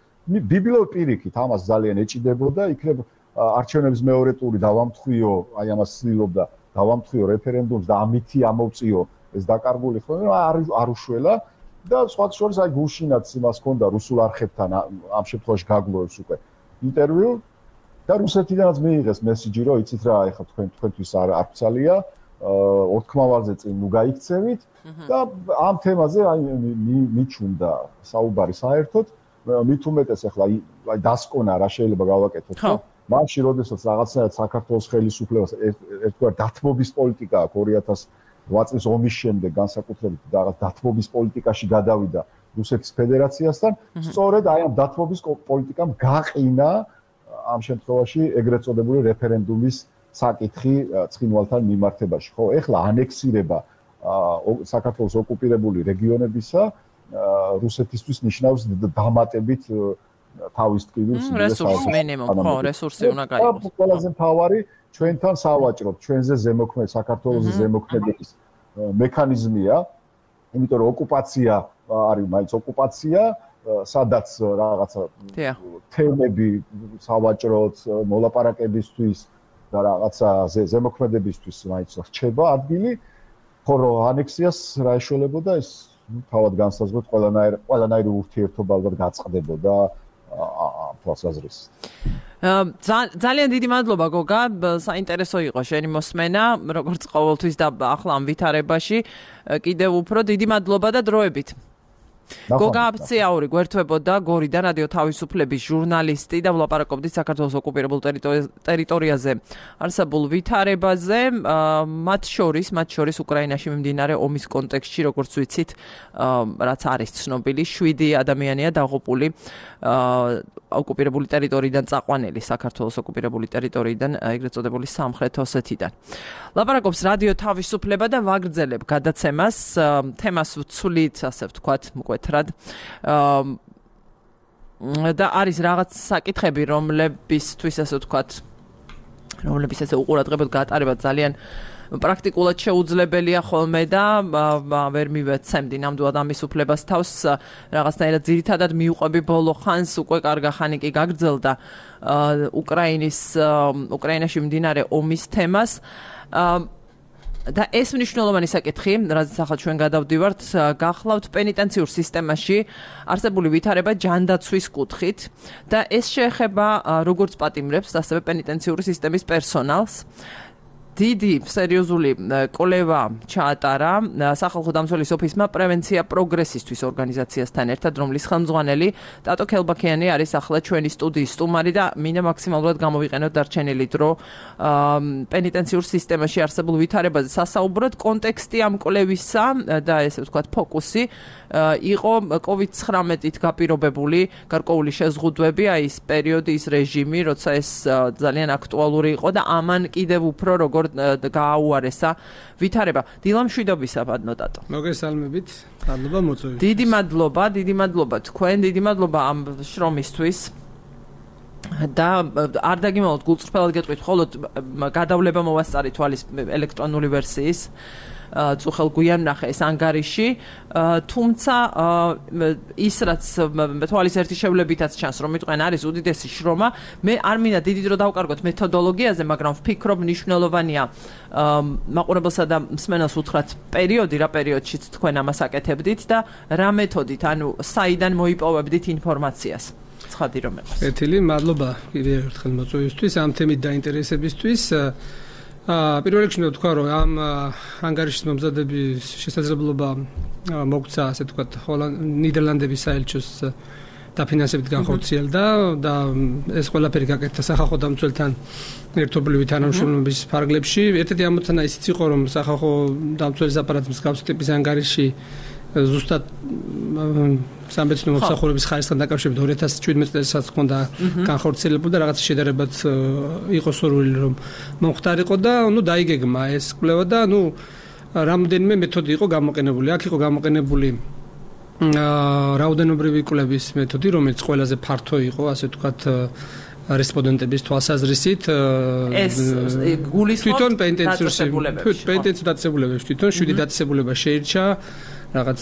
ბიბილოვი პირიქით ამას ძალიან ეჭიდებოდა, იქნებ არჩევნების მეორე ტური დავამთხვიო, აი ამას ცდილობდა დავამთხვიო რეფერენდუმს და ამითი ამოვწიო ეს დაკარგული ხოლმე არ უშველა და სხვათა შორის აი გუშინაც იმას ჰქონდა რუსულ არხებთან ამ შემთხვევაში გაგლოვებს უკვე ინტერვიუ და რუსეთიდანაც მიიღეს მესიჯი რომ იცით რა ეხლა თქვენთვის არ ფცალია ორთქმავაზე წინ ნუ გაიქცევით და ამ თემაზე აი მიჩუნდა საუბარი საერთოდ მით უმეტეს ახლა აი დასკონა რა შეიძლება გავაკეთოთ ხო მაშინ როდესაც რაღაცნაირად საქართველოს ხელისუფლებას ერთგვარ დათმობის პოლიტიკა აქვს 2008 წლის ომის შემდეგ განსაკუთრებით რაღაც დათმობის პოლიტიკაში გადავიდა რუსეთის ფედერაციასთან სწორედ აი ამ დათმობის პოლიტიკამ გაყინა ამ შემთხვევაში ეგრეთ წოდებული რეფერენდუმის საკითხი ცხინვალთან მიმართებაში ხო ეხლა ანექსირება საქართველოს ოკუპირებული რეგიონებისა რუსეთისთვის ნიშნავს დამატებით თავის ტკივილს რესურს მინიმუმ ხო რესურსი უნდა გაიღოს ყველაზე მთავარი ჩვენთან სავაჭრობ ჩვენზე ზემოქმედ საქართველოს ზემოქმედების მექანიზმია იმიტომ რომ ოკუპაცია არის მაინც ოკუპაცია სადაც რაღაცა თემები სავაჭროთ მოლაპარაკებისთვის და რაღაცა ზემოქმედებისთვის მაინც რჩება ადგილი ხოლო ანექსიას რა ეშველებოდა ეს თავად განსაზღვროთ ყველანაირი ურთიერთობა ალბათ გაწყდებოდა თვალსაზრისით ძალიან დიდი მადლობა გოგა საინტერესო იყო შენი მოსმენა როგორც ყოველთვის და ახლა ამ ვითარებაში კიდევ უფრო დიდი მადლობა და დროებით გოგა აბციაური გვერდთვებოდა გორიდან რადიო თავისუფლების ჟურნალისტი და ვლაპარაკობდით საქართველოს ოკუპირებულ ტერიტორიაზე არსებულ ვითარებაზე მათ შორის უკრაინაში მიმდინარე ომის კონტექსტში როგორც ვიცით რაც არის ცნობილი 7 ადამიანია დაღუპული ოკუპირებული ტერიტორიიდან წაყვანილი საქართველოს ოკუპირებული ტერიტორიიდან ეგრეთ წოდებული სამხრეთ ოსეთიდან ლაპარაკობს რადიო თავისუფლება და ვაგრძელებ გადაცემას თემას ვცვლით ასე ვთქვათ მკვეთრად და არის რაღაც საკითხები რომლებისთვის ასე ვთქვათ რომლებიც ესე უყურადღებოდ გატარება ძალიან პრაქტიკულად შეუძლებელია ხოლმე და ვერ მივეცემდი ნამდვილად ამის უფლებას თავს რაღაცნაირად ძირითადად მიუყვები ბოლო ხანს უკვე კარგა ხანი კი გაგრძელდა უკრაინაში მიმდინარე ომის თემას და ეს მნიშვნელოვანი საკითხი, რაზეც ახლა ჩვენ გადავდივართ, გახლავთ პენიტენციურ სისტემაში არსებული ვითარება ჯანდაცვის კუთხით და ეს შეეხება როგორც პატიმრებს, ასევე პენიტენციური სისტემის პერსონალს. დიდი სერიოზული კვლევა ჩაატარა სახალხო დამცველის ოფისმა პრევენცია პროგრესისთვის ორგანიზაციასთან ერთად, რომლის ხელმძღვანელი ტატო ქელბაქიანი არის ახლა ჩვენი სტუდიის სტუმარი და მინდა მაქსიმალურად გამოვიყენოთ დარჩენილი დრო პენიტენციურ სისტემაში არსებულ ვითარებაზე სასაუბროდ. კონტექსტი ამ კვლევისა და ესე ვთქვათ ფოკუსი იყო COVID-19-ით გაპირობებული გარკვეული შეზღუდვები, აი ეს პერიოდი, ის რეჟიმი, როცა ეს ძალიან აქტუალური იყო და ამან კიდევ უფრო როგორ გააუარესა ვითარება. დილა მშვიდობისა ბადნო ტატო. მოგესალმებით. მადლობა მოწვევით. დიდი მადლობა თქვენ, დიდი მადლობა ამ შრომისთვის. და არ დაგიმალოთ გულწრფელად გეტყვით, მხოლოდ გადავლება მოვასწარი თვალის ელექტრონული ვერსიის. წუხელ გვიან ნახე ეს ანგარიში, თუმცა ის რაც თვალის ერთი შევლებითაც ჩანს, რომ მიტყვენ არის უდიდესი შრომა, მე არ მინდა დიდი დრო დავკარგოთ მეთოდოლოგიაზე, მაგრამ ვფიქრობ მნიშვნელოვანია მაყურებელსა და მსმენელს უთხრათ პერიოდი, რა პერიოდშიც თქვენ ამას აკეთებდით და რა მეთოდით, ანუ საიდან მოიპოვებდით ინფორმაციას. ცხადი რომ ეყოს. ეთილი, მადლობა კიდევ ერთხელ მოწვევისთვის, ამ თემით დაინტერესებისთვის. პირველ რიგში ვთქვა, რომ ამ ანგარიშის მომზადების შესაძლებლობა მოგცა, ასე ვთქვათ, ნიდერლანდების საელჩოს დაფინანსებით განხორციელდა და ეს ყველაფერი გაკეთდა სახალხო დამცველთან ერთობლივი თანამშრომლობის ფარგლებში. ერთ-ერთი ამოცანა ისიც იყო, რომ სახალხო დამცველის აპარატის მსგავსი ტიპის ანგარიში ზუსტად სამეცნიერო მომსახურების ხარისხთან დაკავშირებით 2017 წელსაც ჰქონდა განხორციელებული და რაღაც შედარებაც იყო სურვილი რომ მომხდარიყო და დაიგეგმა ეს კვლევა და რამდენიმე მეთოდი იყო გამოყენებული. აქ იყო გამოყენებული რაოდენობრივი კვლევის მეთოდი, რომელიც ყველაზე ფართო იყო, ასე ვთქვათ, რესპონდენტების თვალსაზრისით. ეს გულისხმობს თვითონ პენიტენციურ დაწესებულებებში თვითონ 7 დაწესებულება შეირჩა. რაღაც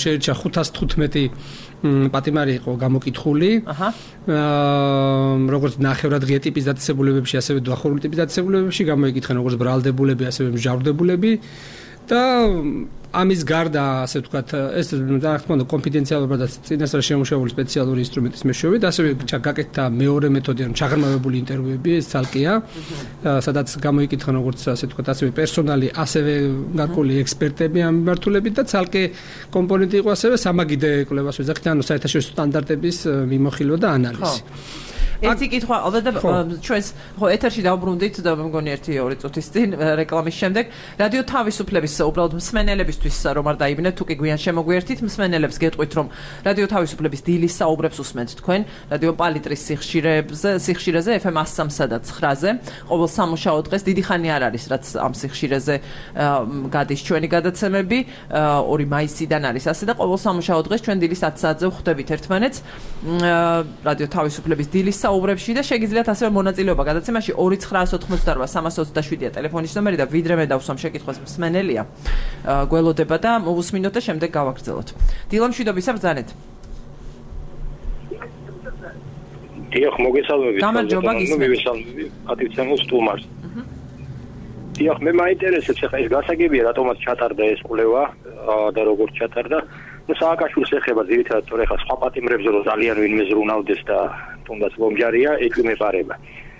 შეირჩა 515 პატიმარი იყო გამოკითხული. როგორც ნახევრად ღია ტიპის დაწესებულებებში, ასევე დახურული ტიპის დაწესებულებებში გამოიკითხენ როგორც ბრალდებულები, ასევე მსჯავრდებულები და ამის გარდა, ასე ვთქვათ, ეს რა თქმა უნდა კონფიდენციალურობა და წინასწარ შემუშავებული სპეციალური ინსტრუმენტის მეშვეობით, ასევე გაკეთდა მეორე მეთოდი, ანუ ჩაღრმავებული ინტერვიუები, ეს ცალკეა, სადაც გამოიკითხა როგორც ასე ვთქვათ, ასევე პერსონალი, ასევე გარკვეული ექსპერტები ამ მიმართულებით და ცალკე კომპონენტი იყო ასევე სამაგიდე კვლევას ვეძახით, ანუ საერთაშორისო სტანდარტების მიმოხილვა და ანალიზი. ერთი კითხვა, ალბათ ჩვენს ეთერში დავბრუნდით და მგონი 1-2 წუთის წინ რეკლამის შემდეგ რადიო თავისუფლების უბრალოდ მსმენელებისთვის რომ არ დაიბნეთ, თუ კი გვიან შემოგვიერთით, მსმენელებს გეტყვით, რომ რადიო თავისუფლების დილის საუბრებს უსმენთ თქვენ რადიო პალიტრის სიხშირეზე FM 103-სა და 9-ზე, ყოველ სამუშაო დღეს დიდი ხანი არ არის, რაც ამ სიხშირეზე გადის ჩვენი გადაცემები, 2 მაისიდან არის ასე და ყოველ სამუშაო დღეს ჩვენ დილის 10 საათზე ვხვდებით ერთმანეთს რადიო თავისუფლების დილის საუბრებში და შეგიძლიათ ასევე მონაწილეობა გადაცემაში 2988327-ია ტელეფონის ნომერი და ვიდრე მე დავსვამ შეკითხვას მსმენელია გველოდება და მოვუსმინოთ და შემდეგ გავაგრძელოთ. დილა მშვიდობისა ბრძანეთ. დიახ, მოგესალმებით. გამარჯობა, გისმენთ. მივესალმები პატივცემულ სტუმარს. დიახ, მე მაინტერესებს ახლა ეს გასაგებია, რატომაც ჩატარდა ეს კვლევა და როგორ ჩატარდა. ну სააკაშვილის ეხება ძირითადად თორე ხა სხვა პატიმრებზე რომ ძალიან ვინმე ზრუნავდეს და თუნდაც ლომჯარია ეკვიმეპარება.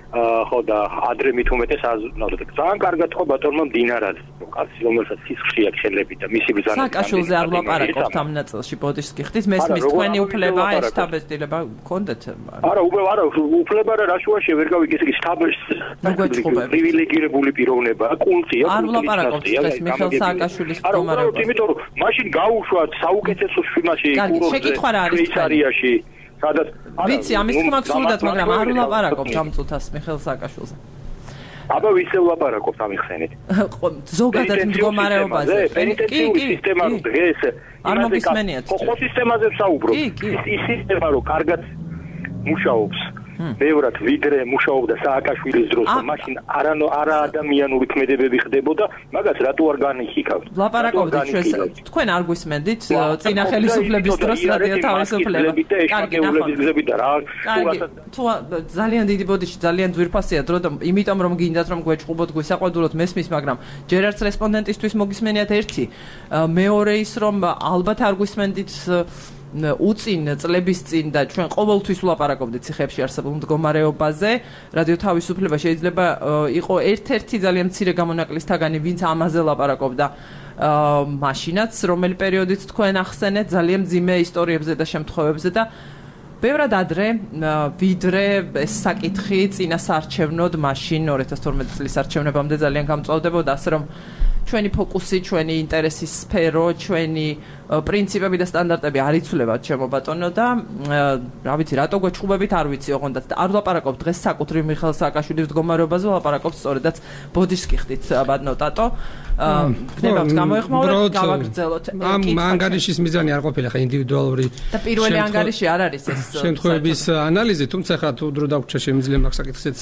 ხო და ადრე მით უმეტეს აზროვნავდა. ძალიან კარგად ხო ბატონმა მდინარად, კაცი რომელსაც სისხლი აქვს ხელები და მისი ბრძანა. სააკაშვილზე არ ვლაპარაკობთ ამ ნაწილში, ბოდიშს გიხდით, მესმის თქვენი უფლება ეს შთაბეჭდილება გქონდეთ? არა, უფლება რა შუაშია ვერ გავიგე, ესე იგი შთაბეჭდილება პრივილეგირებული პიროვნება, კულტია, არ ვლაპარაკობთ ეს მიხელ სააკაშვილის მდგომარეობა. არა, იმიტომ რომ მაშინ გაუშვათ საუკეთესო შიმაში შვეიცარიაში სადაც ვიცი ამის თქმა გსურდათ, მაგრამ არ ვლაპარაკობთ ამ წუთას მიხელ სააკაშვილზე. აბა ვისე ვლაპარაკობთ ამ ხსენით. ზოგადად მდგომარეობაზე. პენიტენციური სისტემა რო დღეს არ მოგისმენიათ. ხო სისტემაზე ვსაუბრობ. ის სისტემა რო კარგად მუშაობს. ბევრად ვიდრე მუშაობდა სააკაშვილის დროს და მაშინ არა ადამიანური ქმედებები ხდებოდა, მაგას რატო არ განიხილავთ? ვლაპარაკობდით ჩვენს თქვენ არ გვისმენდით წინა ხელისუფლების დროს რადიო თავისუფლება. კარგი, გზები და რა. თუ ძალიან დიდი ბოდიში, ძალიან ძვირფასია დრო და იმიტომ რომ გინდათ რომ გვეჭყობოთ, გვისაყვედუროთ მესმის, მაგრამ ჯერ არც რესპონდენტისთვის მოგისმენიათ ერთი. მეორე ის რომ ალბათ არ გვისმენდით უწინ წლების წინ და ჩვენ ყოველთვის ვლაპარაკობდით ციხეებში არსებულ მდგომარეობაზე. რადიო თავისუფლება შეიძლება იყო ერთ-ერთი ძალიან მცირე გამონაკლისთაგანი, ვინც ამაზე ლაპარაკობდა მაშინაც, რომელი პერიოდიც თქვენ ახსენეთ, ძალიან მძიმე ისტორიებზე და შემთხვევებზე და ბევრად ადრე ვიდრე ეს საკითხი წინა საარჩევნოდ მაშინ 2012 წლის არჩევნებამდე ძალიან გამწვავდებოდა, ასე რომ ჩვენი ფოკუსი, ჩვენი ინტერესის სფერო, ჩვენი პრინციპები და სტანდარტები არ იცვლებათ ჩემო ბატონო და რა ვიცი, რატო გვეჭყობებით არ ვიცი ოღონდაც და არ ვლაპარაკობთ დღეს საკუთრივ მიხელ სააკაშვილის მდგომარეობაზე, ვლაპარაკობთ სწორედაც ბოდიშს გიხდით ბატონო ტატო. გნებავთ გამოეხმაუროთ, გავაგრძელოთ. ამ ანგარიშის მიზანი არ ყოფილა ხა ინდივიდუალური და პირველი ანგარიში არ არის ეს შემთხვევების ანალიზი, თუმცა ხა თუ დრო დაგვრჩა შემიძლია მაგ საკითხზეც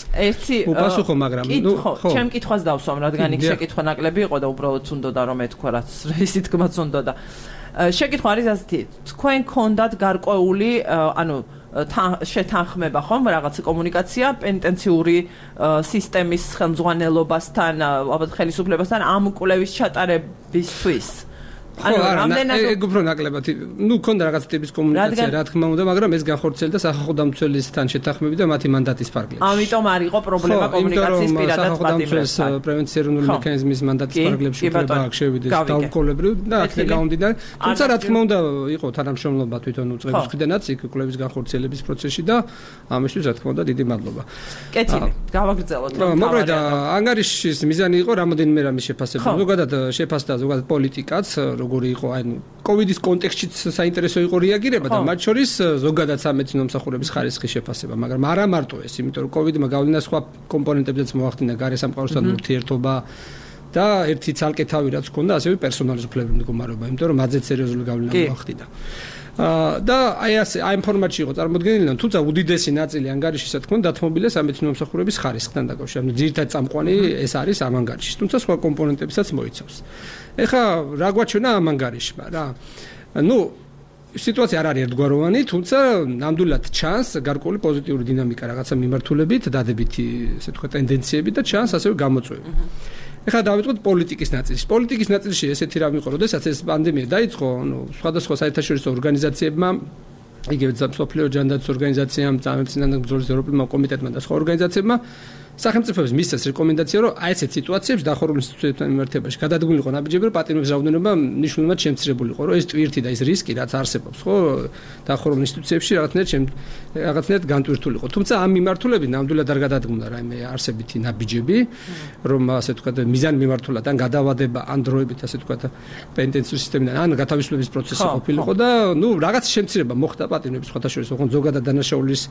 უპასუხო, მაგრამ ხო, ჩემ კითხვას დავსვამ, რადგან იქ შეკითხვა ნაკლები იყო და უბრალოდ უნდოდა რომ ეთქვა, რაც ისიც თქმაც უნდოდა. შეკითხვა არის ასეთი, თქვენ გქონდათ გარკვეული, ანუ შეთანხმება ხომ რაღაც კომუნიკაცია პენიტენციური სისტემის ხელმძღვანელობასთან, ალბათ ხელისუფლებასთან ამ კვლევის ჩატარებისთვის. ანუ რამდენად უფრო ნაკლებად, ну, ქონდა რაღაც ტიპის კომუნიკაცია, რა თქმა უნდა, მაგრამ ეს განხორციელდა სახალხო დამცველისთან შეთანხმებით და მათი მანდატის ფარგლებში. ამიტომ არ იყო პრობლემა კომუნიკაციის პირადად პატიმრებთან. პრევენციული მექანიზმის მანდატის ფარგლებში უფლება აქვს შევიდეს დაუყოლებრივ და აქედან გამომდინარე, თუმცა რა თქმა უნდა, იყო თანამშრომლობა თვითონ უწყების მხრიდანაც იქ კვლევის განხორციელების პროცესში და ამისთვის რა თქმა უნდა დიდი მადლობა. კეთილი, გავაგრძელოთ. მოკლედ ანგარიშის მიზანი იყო რამოდენიმე რამის შეფასება. ზოგადად შეფასდა ზოგადად პოლიტიკაც როგორი იყო, ანუ კოვიდის კონტექსტშიც საინტერესო იყო რეაგირება და მათ შორის ზოგადად სამედიცინო მსახურების ხარისხის შეფასება, მაგრამ არა მარტო ეს, იმიტომ რომ კოვიდმა გავლენა სხვა კომპონენტებზეც მოახდინა, გარესამყაროსთან ურთიერთობა და ერთი ცალკე თავი რაც ჰქონდა, ასევე პერსონალის უფლებების მდგომარეობა, იმიტომ რომ მათზე სერიოზული გავლენა მოახდინა. და აი ასე აი ფორმატში იყო წარმოდგენილი, თუმცა უდიდესი ნაწილი ანგარიშისა თქმა უნდა დათმობილია სამედიცინო მსახურების ხარისხთან დაკავშირებით. ძირითადად წამყვანი ეს არის ამ ანგარიშის, თუმცა სხვა კომპონენტებსაც მოიცავს. ეხლა რა გვაჩვენა ამ ანგარიშმა რა? ну სიტუაცია არ არის ერთგვაროვანი, თუმცა ნამდვილად ჩანს გარკვეული პოზიტიური დინამიკა რაღაცა მიმართულებით, დადებითი, ესე ვთქვათ, ტენდენციები და ჩანს ასევე გამოწვევები. ეხლა დავიწყოთ პოლიტიკის ნაწილში. პოლიტიკის ნაწილში ესეთი რამ იყო, როდესაც ეს პანდემია დაიწყო, სხვადასხვა საერთაშორისო ორგანიზაციებმა, იგივე მსოფლიო ჯანდაცვის ორგანიზაციამ, წამებწინანდ ბრძოლის ევროპულმა კომიტეტმა და სხვა ორგანიზაციებმა სახელმწიფოებს მისცეს რეკომენდაცია, რომ აი ესეთ სიტუაციებში დახურულ ინსტიტუციებთან მიმართებაში გადადგმულიყო ნაბიჯები, რომ პატიმრების რაოდენობა მნიშვნელოვნად შემცირებულიყო, რომ ეს ტვირთი და ეს რისკი რაც არსებობს, ხო, დახურულ ინსტიტუციებში რაღაცნაირად განტვირთულიყო. თუმცა ამ მიმართულებით ნამდვილად არ გადადგმულა რაიმე არსებითი ნაბიჯები, რომ ასე ვთქვათ, მიზან მიმართულად ან გადავადება ან დროებით ასე ვთქვათ, პენტენციური სისტემიდან ან გათავისუფლების პროცესი ყოფილიყო და ნუ რაღაც შემცირება მოხდა პატიმრების სხვადასხვა, ხო, ზოგადად დანაშაულის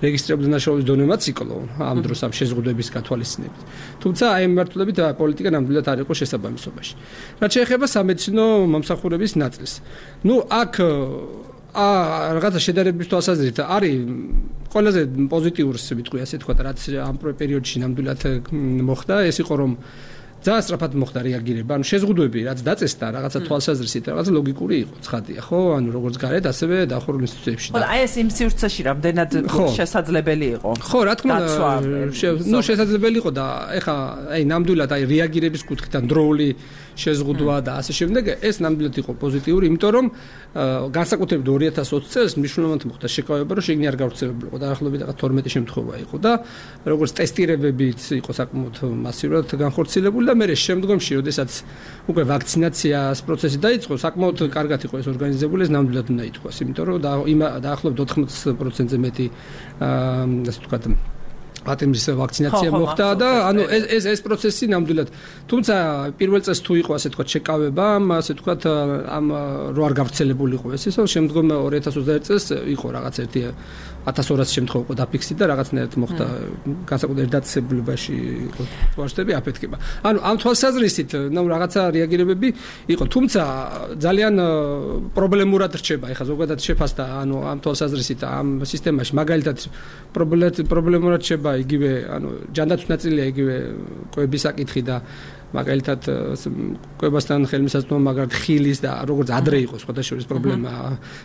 რეგისტრირებული დანაშაულის დონემაც იკლო ამ დროს ამ შეზღუდვების გათვალისწინებით. თუმცა აი მიმართულებით პოლიტიკა ნამდვილად არ იყო შესაბამისობაში. რაც შეეხება სამედიცინო მომსახურების ნაწილს. ნუ აქ რაღაცა შედარების თვალსაზრისით არის ყველაზე პოზიტიურს ვიტყვი ასე თქვა, რაც ამ პერიოდში ნამდვილად მოხდა, ეს იყო რომ ძალიან სწრაფად მოხდა რეაგირება, ანუ შეზღუდვები რაც დაწესდა რაღაცა თვალსაზრისით, რაღაცა ლოგიკური იყო, ცხადია, ხო? ანუ როგორც გარეთ, ასევე დახურულ ინსტიტუციებში. ხო, აი ეს იმ სივრცეში რამდენად შესაძლებელი იყო. ხო, რა თქმა უნდა, ნუ შესაძლებელი იყო და ეხა აი ნამდვილად აი რეაგირების კუთხით ან დროული შეზღუდვა და ასე შემდეგ, ეს ნამდვილად იყო პოზიტიური, იმიტომ რომ განსაკუთრებით 2020 წელს მნიშვნელოვნად მოხდა შეკავება, რომ შეგნი არ გავრცელებულიყო და ახლობით 12 შემთხვევა იყო და როგორც ტესტირებებიც იყო საკმაოდ მასიურად განხორციელებული და მე შემდგომში, როდესაც უკვე ვაქცინაციას პროცესი დაიწყო, საკმაოდ კარგად იყო ეს ორგანიზებული, ეს ნამდვილად უნდა ითქვას, იმიტომ რომ დაახლოებით 80%-ზე მეტი ასე ვთქვათ პატიმრის ვაქცინაცია მოხდა და ანუ ეს პროცესი ნამდვილად თუმცა პირველ წელს თუ იყო ასე ვთქვათ შეკავება ასე ვთქვათ ამ რო არ გავრცელებულიყო ეს ისო შემდგომ 2021 წელს იყო რაღაც ერთი 1200 შემთხვევა იყო დაფიქსი და რაღაცნაირად მოხდა განსაკუთრებით დაწესებულებაში ვარშტები აფეთქება. ანუ ამ თვალსაზრისით ნუ რაღაცა რეაგირებები იყო, თუმცა ძალიან პრობლემურად რჩება. ეხლა ზოგადად შეფასდა, ანუ ამ თვალსაზრისით ამ სისტემაში მაგალითად პრობლემურად რჩება იგივე, ანუ ჯანდაცვის ნაწილია იგივე კვების საკითხი და მაგალითად კვებასთან ხელმისაწვდომა მაგალითად ხილის და როგორც ადრე იყო სხვადასხვა პრობლემა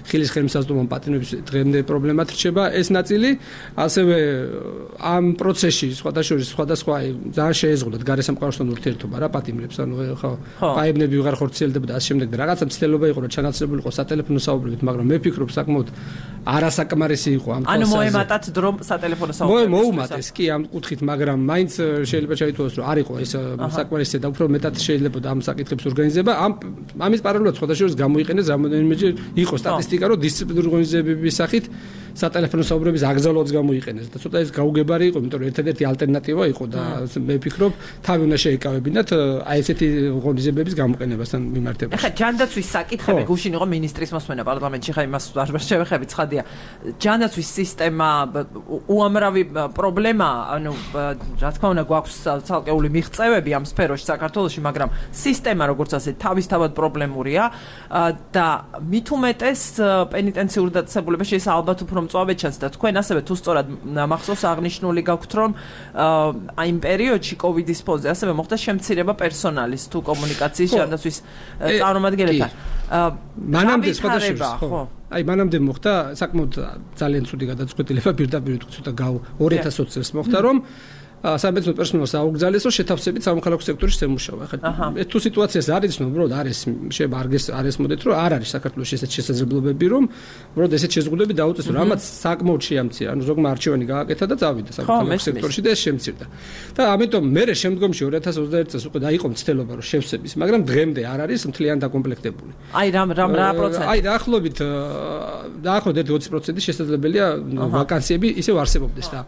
ხილის ხელმისაწვდომა პატიმრების დღემდე პრობლემად რჩება ეს ნაწილი ასევე ამ პროცესში სხვადასხვა ძალიან შეეზღუდათ გარესამყაროსთან ურთიერთობა რა პატიმრებს ანუ ხო პაებნები ვეღარ ხორციელდებოდა ასე შემდეგ და რაღაცა მცდელობა იყო რომ ჩანაცვლებულიყო სატელეფონო საუბრებით მაგრამ მე ვფიქრობ საკმაოდ არასაკმარისი იყო ამ ანუ მოემატათ დრო სატელეფონო საუბრებით მოუმატეს კი ამ კუთხით მაგრამ მაინც შეიძლება ჩაითვალოს რომ არ იყო ეს საკმარისი და უფრო მეტად შეიძლება ამ საკითხებს ორგანიზება ამის პარალელურად სხვადასხვა გამოიყენეს რამოდენიმეჯერ იყო სტატისტიკა რომ დისციპლინური ორგანიზებების სახით სატელეფონო საუბრების აგზავნაც გამოიყენეს და ცოტა ეს გაუგებარი იყო იმიტომ რომ ერთადერთი ალტერნატივა იყო და მე ვფიქრობ თავი უნდა შეეკავებინათ აი ესეთი ორგანიზებების გამოყენებასთან მიმართებაში. ახლა ჯანდაცვის საკითხები გუშინ იყო მინისტრის მოსმენა პარლამენტში ხა იმას არ შევეხებით ცხადია ჯანდაცვის სისტემა უამრავი პრობლემა ანუ რა თქმა უნდა გვაქვს ცალკეული მიღწევები ამ სფეროში საქართველოში მაგრამ სისტემა როგორც ასეთ თავისთავად პრობლემურია და მით უმეტეს პენიტენციურ დაწესებულებაში ეს ალბათ უფრო მწვავედ ჩანს და თქვენ ასევე თუ სწორად მახსოვს აღნიშნული გაქვთ რომ აი იმ პერიოდში კოვიდის ფონზე ასევე მოხდა შემცირება პერსონალის თუ კომუნიკაციის ჯანდაცვის წარმომადგენლებთან მანამდე სხვადასხვა ხო აი მანამდე მოხდა საკმაოდ ძალიან ცუდი გადაწყვეტილება პირდაპირ ცოტა 2020 წელს მოხდა რომ სამედიცინო პერსონალს აუგზავნეს რომ შეთავსებით სამოქალაქო სექტორში შემუშავა. ახლა ეს თუ სიტუაციას არ იცნობ, რომ არის შეიძლება არ ესმოდეთ, რომ არ არის საქართველოს ესეთ შესაძლებლობები, რომ ესეთ შეზღუდვები დაუწესო, რამაც საკმაოდ შეამცირა. ანუ ზოგმა არჩევანი გააკეთა და წავიდა სამოქალაქო სექტორში და ეს შემცირდა. და ამიტომ მე შემდგომში 2021 წელს უკვე დაიყო მცდელობა რომ შევსების, მაგრამ დღემდე არ არის მთლიან დაკომპლექტებული. აი რა პროცენტი? აი დაახლოებით 20% შესაძლებელია ვაკანსიები ისევ არსებობდეს და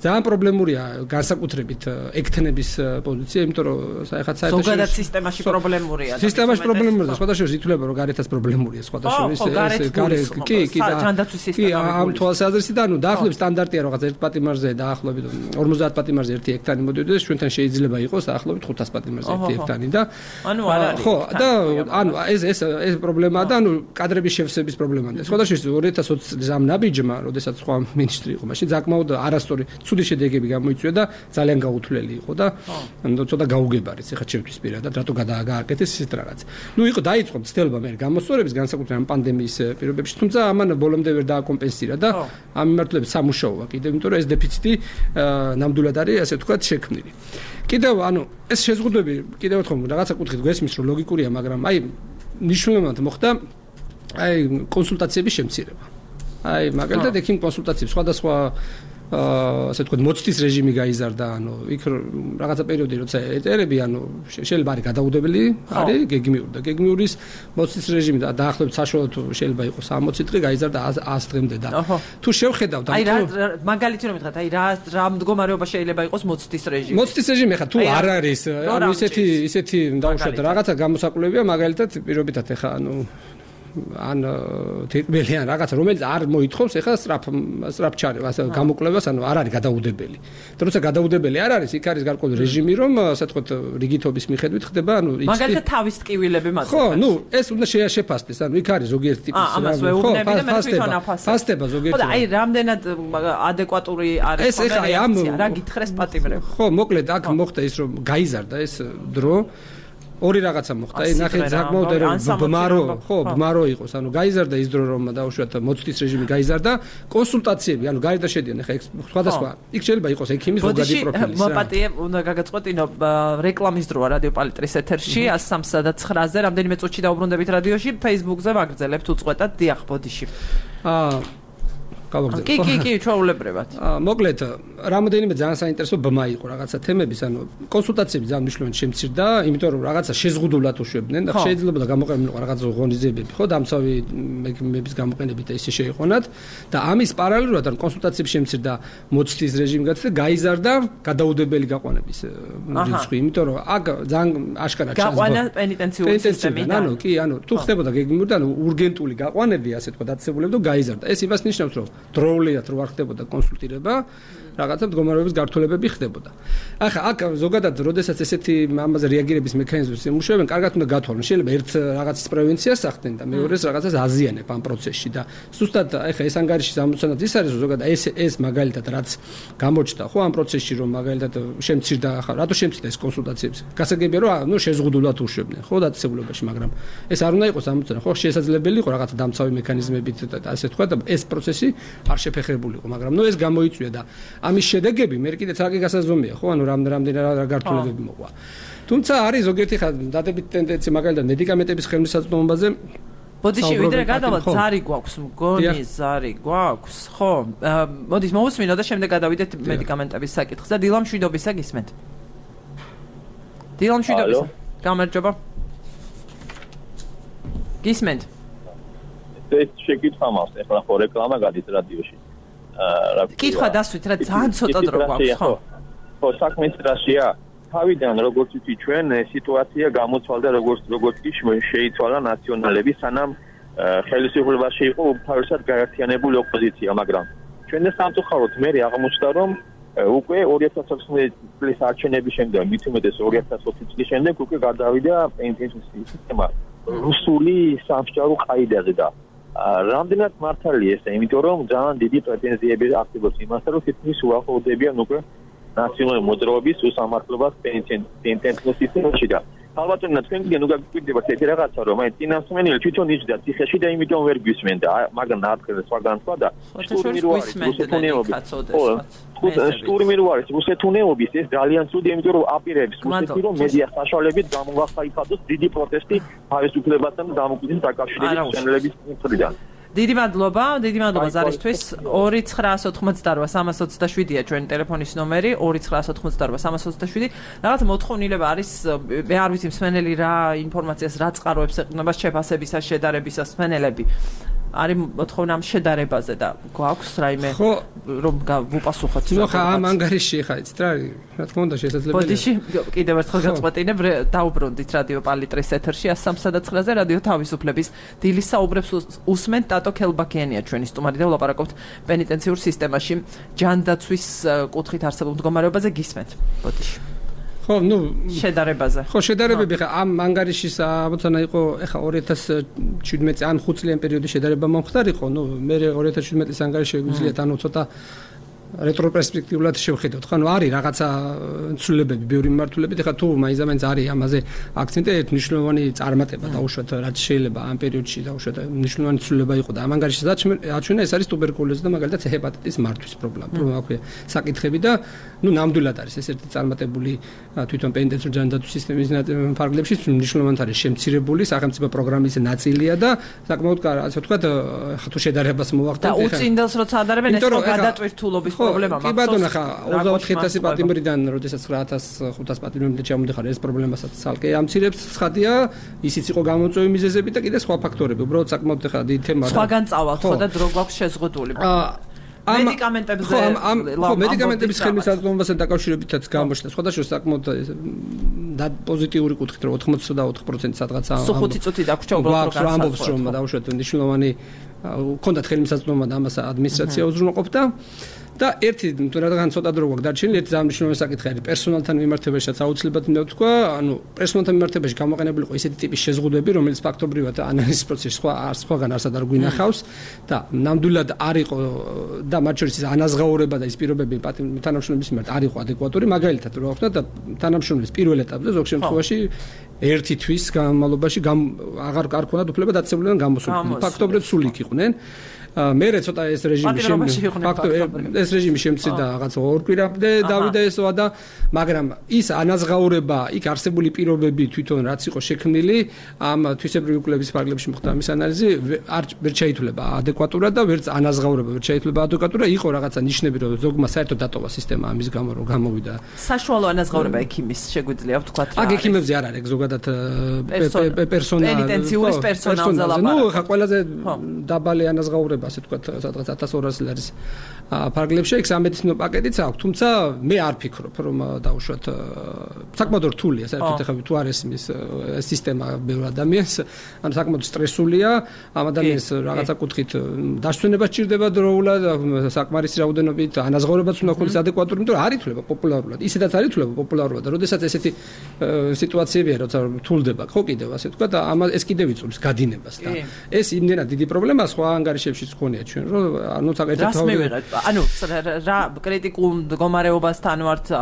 ძალიან პრობლემურია განსაკუთრებით ექთნების პოზიცია, იმიტომ რომ საერთოდ ზოგადად სისტემაში პრობლემურია. სისტემაში პრობლემურია, სხვადასხვა ითვლება რომ გარეთაც პრობლემურია, სხვადასხვა კი, ამ თვალსაზრისით, ანუ დაახლოებით სტანდარტია რაღაც ერთ პატიმარზე დაახლოებით 50 პატიმარზე ერთი ექთანი მოდიოდეს, ჩვენთან შეიძლება იყოს დაახლოებით 500 პატიმარზე ერთი ექთანი და ანუ არ არის. ხო, და ანუ ეს პრობლემაა და ანუ კადრების შევსების პრობლემაა. სხვადასხვა 2020 წლის ამ ნაბიჯმა, როდესაც სხვა მინისტრი იყო, მაშინ საკმაოდ არასწორი ცუდი შედეგები გამოიწვია და ძალიან გაუთვლელი იყო და ცოტა გაუგებარიც ეხლა ჩემთვის პირადად რატო გადააკეთეს ისეთ რაღაც. იყო დაიწყო მცდელობა მე გამოსწორების განსაკუთრებით ამ პანდემიის პირობებში, თუმცა ამან ბოლომდე ვერ დააკომპენსირა და ამ მიმართულებით სამუშაოა კიდევ, იმიტომ რომ ეს დეფიციტი ნამდვილად არის ასე ვთქვათ შექმნილი. კიდევ ეს შეზღუდვები კიდევ ერთხელ რაღაცა კუთხით გვესმის რომ ლოგიკურია, მაგრამ ნიშნულოვანად მოხდა კონსულტაციების შემცირება. მაგალითად ექიმ კონსულტაციებს სხვადასხვა ასე ვთქვათ მოცდის რეჟიმი გაიზარდა, იქ რაღაცა პერიოდი როცა ეტერები, შეიძლება არის გადაუდებელი, არის გეგმიური და გეგმიურის მოცდის რეჟიმი და დაახლოებით საშუალოდ შეიძლება იყოს 60 დღე გაიზარდა 100 დღემდე და თუ შევხედავთ მაგალითი რომ მითხრათ, რა მდგომარეობა შეიძლება იყოს მოცდის რეჟიმი. მოცდის რეჟიმი ხა თუ არ არის, ისეთი დაუშვათ რაღაცა გამოსაკვლევია, მაგალითად პირობითად ხა თითქმელიან რაღაცა რომელიც არ მოითხოვს ეხლა სწრაფ ჩარევა, ასე გამოკვლევას, არ არის გადაუდებელი. როცა გადაუდებელი არ არის, იქ არის გარკვეული რეჟიმი, რომ ასე ვთქვათ, რიგითობის მიხედვით ხდება, მაგალითად თავის ტკივილები მაწყობს. ხო, ეს უნდა შეაფასდეს, იქ არის ზოგიერთი ტიპის ფასტება ზოგიერთი. ხო, და რამდენად ადეკვატური არის რეაქცია, რა გითხრეს პატიმრებს. ხო, მოკლედ აქ მოხდა ის, რომ გაიზარდა ეს დრო ორი რაღაცა მოხდა. ნახეთ საკმაოდ ბმარო იყოს. გაიზარდა ის დრო, რომ დაუშვათ მოცდის რეჟიმი გაიზარდა, კონსულტაციები, გარდა შედიან ხა სხვადასხვა. იქ შეიძლება იყოს ექიმის ზოგადი პროფილი. მოპატიე, უნდა გაგაწყვეტინო რეკლამის დროა რადიო პალიტრის ეთერში 103-9-ზე, რამდენიმე წუთში დაუბრუნდებით რადიოში, Facebook-ზე ვაგრძელებთ უწყვეტად დიახ ბოდიში. კი, ჩვეულებრივად. მოკლედ, რამოდენიმე ძალიან საინტერესო ბმა იყო რაღაცა თემების, კონსულტაციები ძალიან მნიშვნელოვანი შემცირდა, იმიტომ რომ რაღაცა შეზღუდულად უშვებდნენ და შეიძლება გამოყენებინიყო რაღაცა ღონისძიებები, ხო, დამცავი მექიმების გამოყენებით და ისე შეიყვანათ და ამის პარალელურად კონსულტაციები შემცირდა მოცდის რეჟიმი გაცდა, გაიზარდა გადაუდებელი გაყვანების რიცხვი, იმიტომ რომ აქ ძალიან აშკარად გაყვანა პენიტენციური სისტემიდან. კი, თუ ხდებოდა გეგმიური და урგენტული გაყვანები, ასე თქვა, დაწესებულები და გაიზარდა. ეს იმას ნიშნავს, რომ დროულად რო არ ხდებოდა კონსულტირება, რაღაცა მდგომარეობის გართულებები ხდებოდა. ახლა აქ ზოგადად, როდესაც ესეთი ამაზე რეაგირების მექანიზმებს იმუშავებენ, კარგად უნდა გათვალონ. შეიძლება ერთ რაღაცის პრევენციას ახდენ და მეორეს რაღაცას აზიანებ ამ პროცესში და ზუსტად ახლა ეს ანგარიშის ამოცანად ის არის, რომ ზოგადად ეს მაგალითად რაც გამოჩნდა, ხო, ამ პროცესში რომ მაგალითად შემცირდა, ახლა რატო შემცირდა ეს კონსულტაციები? გასაგებია რომ შეზღუდულად უშვებდნენ, ხო, დაწესებულებაში, მაგრამ ეს არ უნდა იყოს ამოცანა, ხო, შესაძლებელი იყო რაღაცა დამცავი მექანიზმებით და ასე თქვა და ეს პროცესი არ შეფეხებული იყო, მაგრამ ეს გამოიწვია და ამის შედეგები მე კიდე ცალკე გასაზომია, ხო, რამდენი რა გართულებები მოყვა. თუმცა არის ზოგიერთი დადებით ტენდენცია, მაგალითად მედიკამენტების ხელმისაწვდომობაზე. ბოდიში ვიდრე გადავალთ, ზარი გვაქვს, მგონი ზარი გვაქვს, ხო? მოდით მოусმინო და შემდეგ გადავიდეთ მედიკამენტების საკითხზე. დილამშვიდობისა გისმენთ. დილამშვიდობისა. გამარჯობა. გისმენთ. ეს შეკითხვა მაქვს, ეხლა ხო რეკლამა გადის რადიოში. კითხვა დასვით, რა ძალიან ცოტა დრო გვაქვს, ხო? ხო, საქმე ის რაშია? თავიდან როგორც ვთქვი, ჩვენ სიტუაცია გამოცვალდა როგორც კი შეიცვალა ნაციონალები, სანამ ხელისუფლებაში იყო თავისად გაერთიანებული ოპოზიცია, მაგრამ ჩვენ და სამწუხაროდ მე აღმოჩნდა, რომ უკვე 2016 წლის არჩევნების შემდეგ, მით უმეტეს 2020 წლის შემდეგ უკვე გადავიდა პენსიის სისტემა რუსული სამსჯავრო ყაიდაზე და რამდენად მართალია ეს, იმიტომ რომ ძალიან დიდი პრეტენზიები არსებობს იმასთან, რომ თითქმის უახლოვდებიან უკვე ნაციონალური მოძრაობის უსამართლობას პენსიის სისტემაში და ალბათონა თქვენ კიდე გაგიკვირდებათ ეს რაღაცა, რომ აი წინასწმენელი თვითონ იჯდა ციხეში და იმიტომ ვერ გვისმენდა, მაგრამ ნათხე სხვაგან სხვა და სტურმი რო არის რუსეთუნეობის ეს ძალიან ცუდი, იმიტომ რომ აპირებს რუსეთი რომ მედია საშუალებით გამოვახაიფათოს დიდი პროტესტი თავისუფლებასთან და დამოუკიდებლობის დაკავშირებით ჩენელების მხრიდან. დიდი მადლობა ზარისთვის. 2988327-ია ჩვენი ტელეფონის ნომერი, 2988327. რაღაც მოთხოვნილება არის, მე არ ვიცი მსმენელი რა ინფორმაციას რა წყაროებს ეყრდნობა შეფასებისას, შედარებისას მსმენელები. არის მოთხოვნა ამ შედარებაზე და გვაქვს რაიმე რომ ვუპასუხოთ. ნუ ხა ამ ანგარიში ხა იცით რა არის, რა თქმა უნდა შესაძლებელია. ბოდიში კიდევ ერთხელ გაწყვეტინებ, დაუბრუნდით რადიო პალიტრის ეთერში 103-9-ზე რადიო თავისუფლების დილის საუბრებს უსმენთ ტატო ქელბაქიანია ჩვენი სტუმარი და ვლაპარაკობთ პენიტენციურ სისტემაში ჯანდაცვის კუთხით არსებულ მდგომარეობაზე გისმენთ. ბოდიში ხო, შედარებაზე. ხო, შედარებები ხა ამ ანგარიშის ამოცანა იყო, ეხა 2017 ან 5 წლიან პერიოდის შედარება მომხდარიყო, მე 2017 წლის ანგარიში შეგვიძლიათ ცოტა რეტროპერსპექტიულად შევხედოთ. ხანუ არის რაღაცა ცვლილებები, ბევრი მიმართულებით, ეხლა თუ მაინც არის ამაზე აქცენტი, ერთ მნიშვნელოვანი წარმატება დაუშვათ, რაც შეიძლება ამ პერიოდში დაუშვათ მნიშვნელოვანი ცვლილება იყო და ამ ანგარიშში აჩვენა ეს არის ტუბერკულოზი და მაგალითად ჰეპატიტის მართვის პრობლემა, აქვე საკითხები და ნამდვილად არის ეს ერთი წარმატებული თვითონ პენიტენციურ ჯანდაცვის სისტემის ფარგლებში მნიშვნელოვნად არის შემცირებული სახელმწიფო პროგრამის ნაწილია და საკმაოდ ასე ვთქვათ, თუ შედარებას მოვახდენთ და უწინდელს როცა ადარებენ ეს გადატვირთულობის პრობლემა მაქვს. კი ბატონო, ხა 24000 პატიმრიდან, როდესაც 9500 პატიმრამდე ჩამოდიხარ, ეს პრობლემასაც ცალკე ამცირებს. ცხადია, ისიც იყო გამოწვევი მიზეზები და კიდე სხვა ფაქტორები. უბრალოდ საკმაოდ ხა დიდი თემაა. სხვაგან წავალთ ხო და დრო გვაქვს შეზღუდული. მედიკამენტებზე ხო, მედიკამენტების ხელმისაწვდომასთან დაკავშირებითაც გამოჩნდა სხვადასხვა საკმაოდ პოზიტიური კუთხით, რომ 84% სადღაცა სულ 5 წუთი დაგვრჩა უბრალოდ რომ ამბობს, რომ დაუშვათ მნიშვნელოვანი ქონდათ ხელმისაწვდომა და ამას ადმინისტრაცია უზრუნველყოფდა და ერთი რადგან ცოტა დრო გვაქვს დარჩენილი, ერთი ძალიან საკითხი არის პერსონალთან მიმართებაშიც აუცილებლად უნდა ვთქვა, ანუ პერსონალთან მიმართებაში გამოყენებული იყო ისეთი ტიპის შეზღუდვები, რომელიც ფაქტობრივად ანალიზის პროცესში სხვაგან არსად არ გვინახავს და ნამდვილად არ იყო და მათ შორის ის ანაზღაურება და ის პირობები თანამშრომლების მიმართ არ იყო ადეკვატური, მაგალითად რო ახსნა და თანამშრომლის პირველ ეტაპზე ზოგ შემთხვევაში ერთი თვის განმავლობაში აღარ ქონდათ უფლება დაწესებულებიდან გამოსულიყვნენ. ფაქტობრივად სულ იქ იყვნენ. მერე ცოტა ეს რეჟიმი შემცირდა რაღაც ორ კვირამდე დავიდა ესოა და მაგრამ ის ანაზღაურება იქ არსებული პირობები თვითონ რაც იყო შექმნილი ამ თვისებრივი კვლევის ფარგლებში მოხდა ამის ანალიზი ვერ შეითვლება ადეკვატურად და ვერც ანაზღაურება ვერ შეითვლება ადეკვატურად იყო რაღაცა ნიშნები რომ ზოგმა საერთოდ დატოვა სისტემა ამის გამო რომ გამოვიდა საშუალო ανაზღაურება ექიმის შეგვიძლია ვთქვათ რა აქ ექიმებზე არ არის ზოგადად პენიტენციური პერსონალზე ლაპარაკი ნუ ხა ყველაზე დაბალი ანაზღაურება ასე ვთქვათ, სადღაც 1200 ლარის ფარგლებში იქ სამედიცინო პაკეტიც აქვს, თუმცა მე არ ფიქრობ, რომ დაუშვათ საკმაოდ რთულია, საერთოდ ახლა თუ არ ესმის სისტემა ბევრ ადამიანს, ანუ საკმაოდ სტრესულია, ამ ადამიანს რაღაცა კუთხით დასვენება სჭირდება დროულად, საკმარისი რაოდენობით ანაზღაურებაც უნდა ქონდეს ადეკვატური, იმიტომ რომ არ ითვლება პოპულარულად. ისედაც არ ითვლება პოპულარულად და როდესაც ესეთი სიტუაციებია, როცა რთულდება, ხო კიდევ ასე ვთქვათ, ეს კიდევ იწვევს გადინებას და ეს იმდენად დიდი პრობლემაა სხვა ანგარიშებშიც ხონია ჩვენ რომ ანუ საკეთებთ ანუ რა კრიტიკულ მდგომარეობასთან ვართ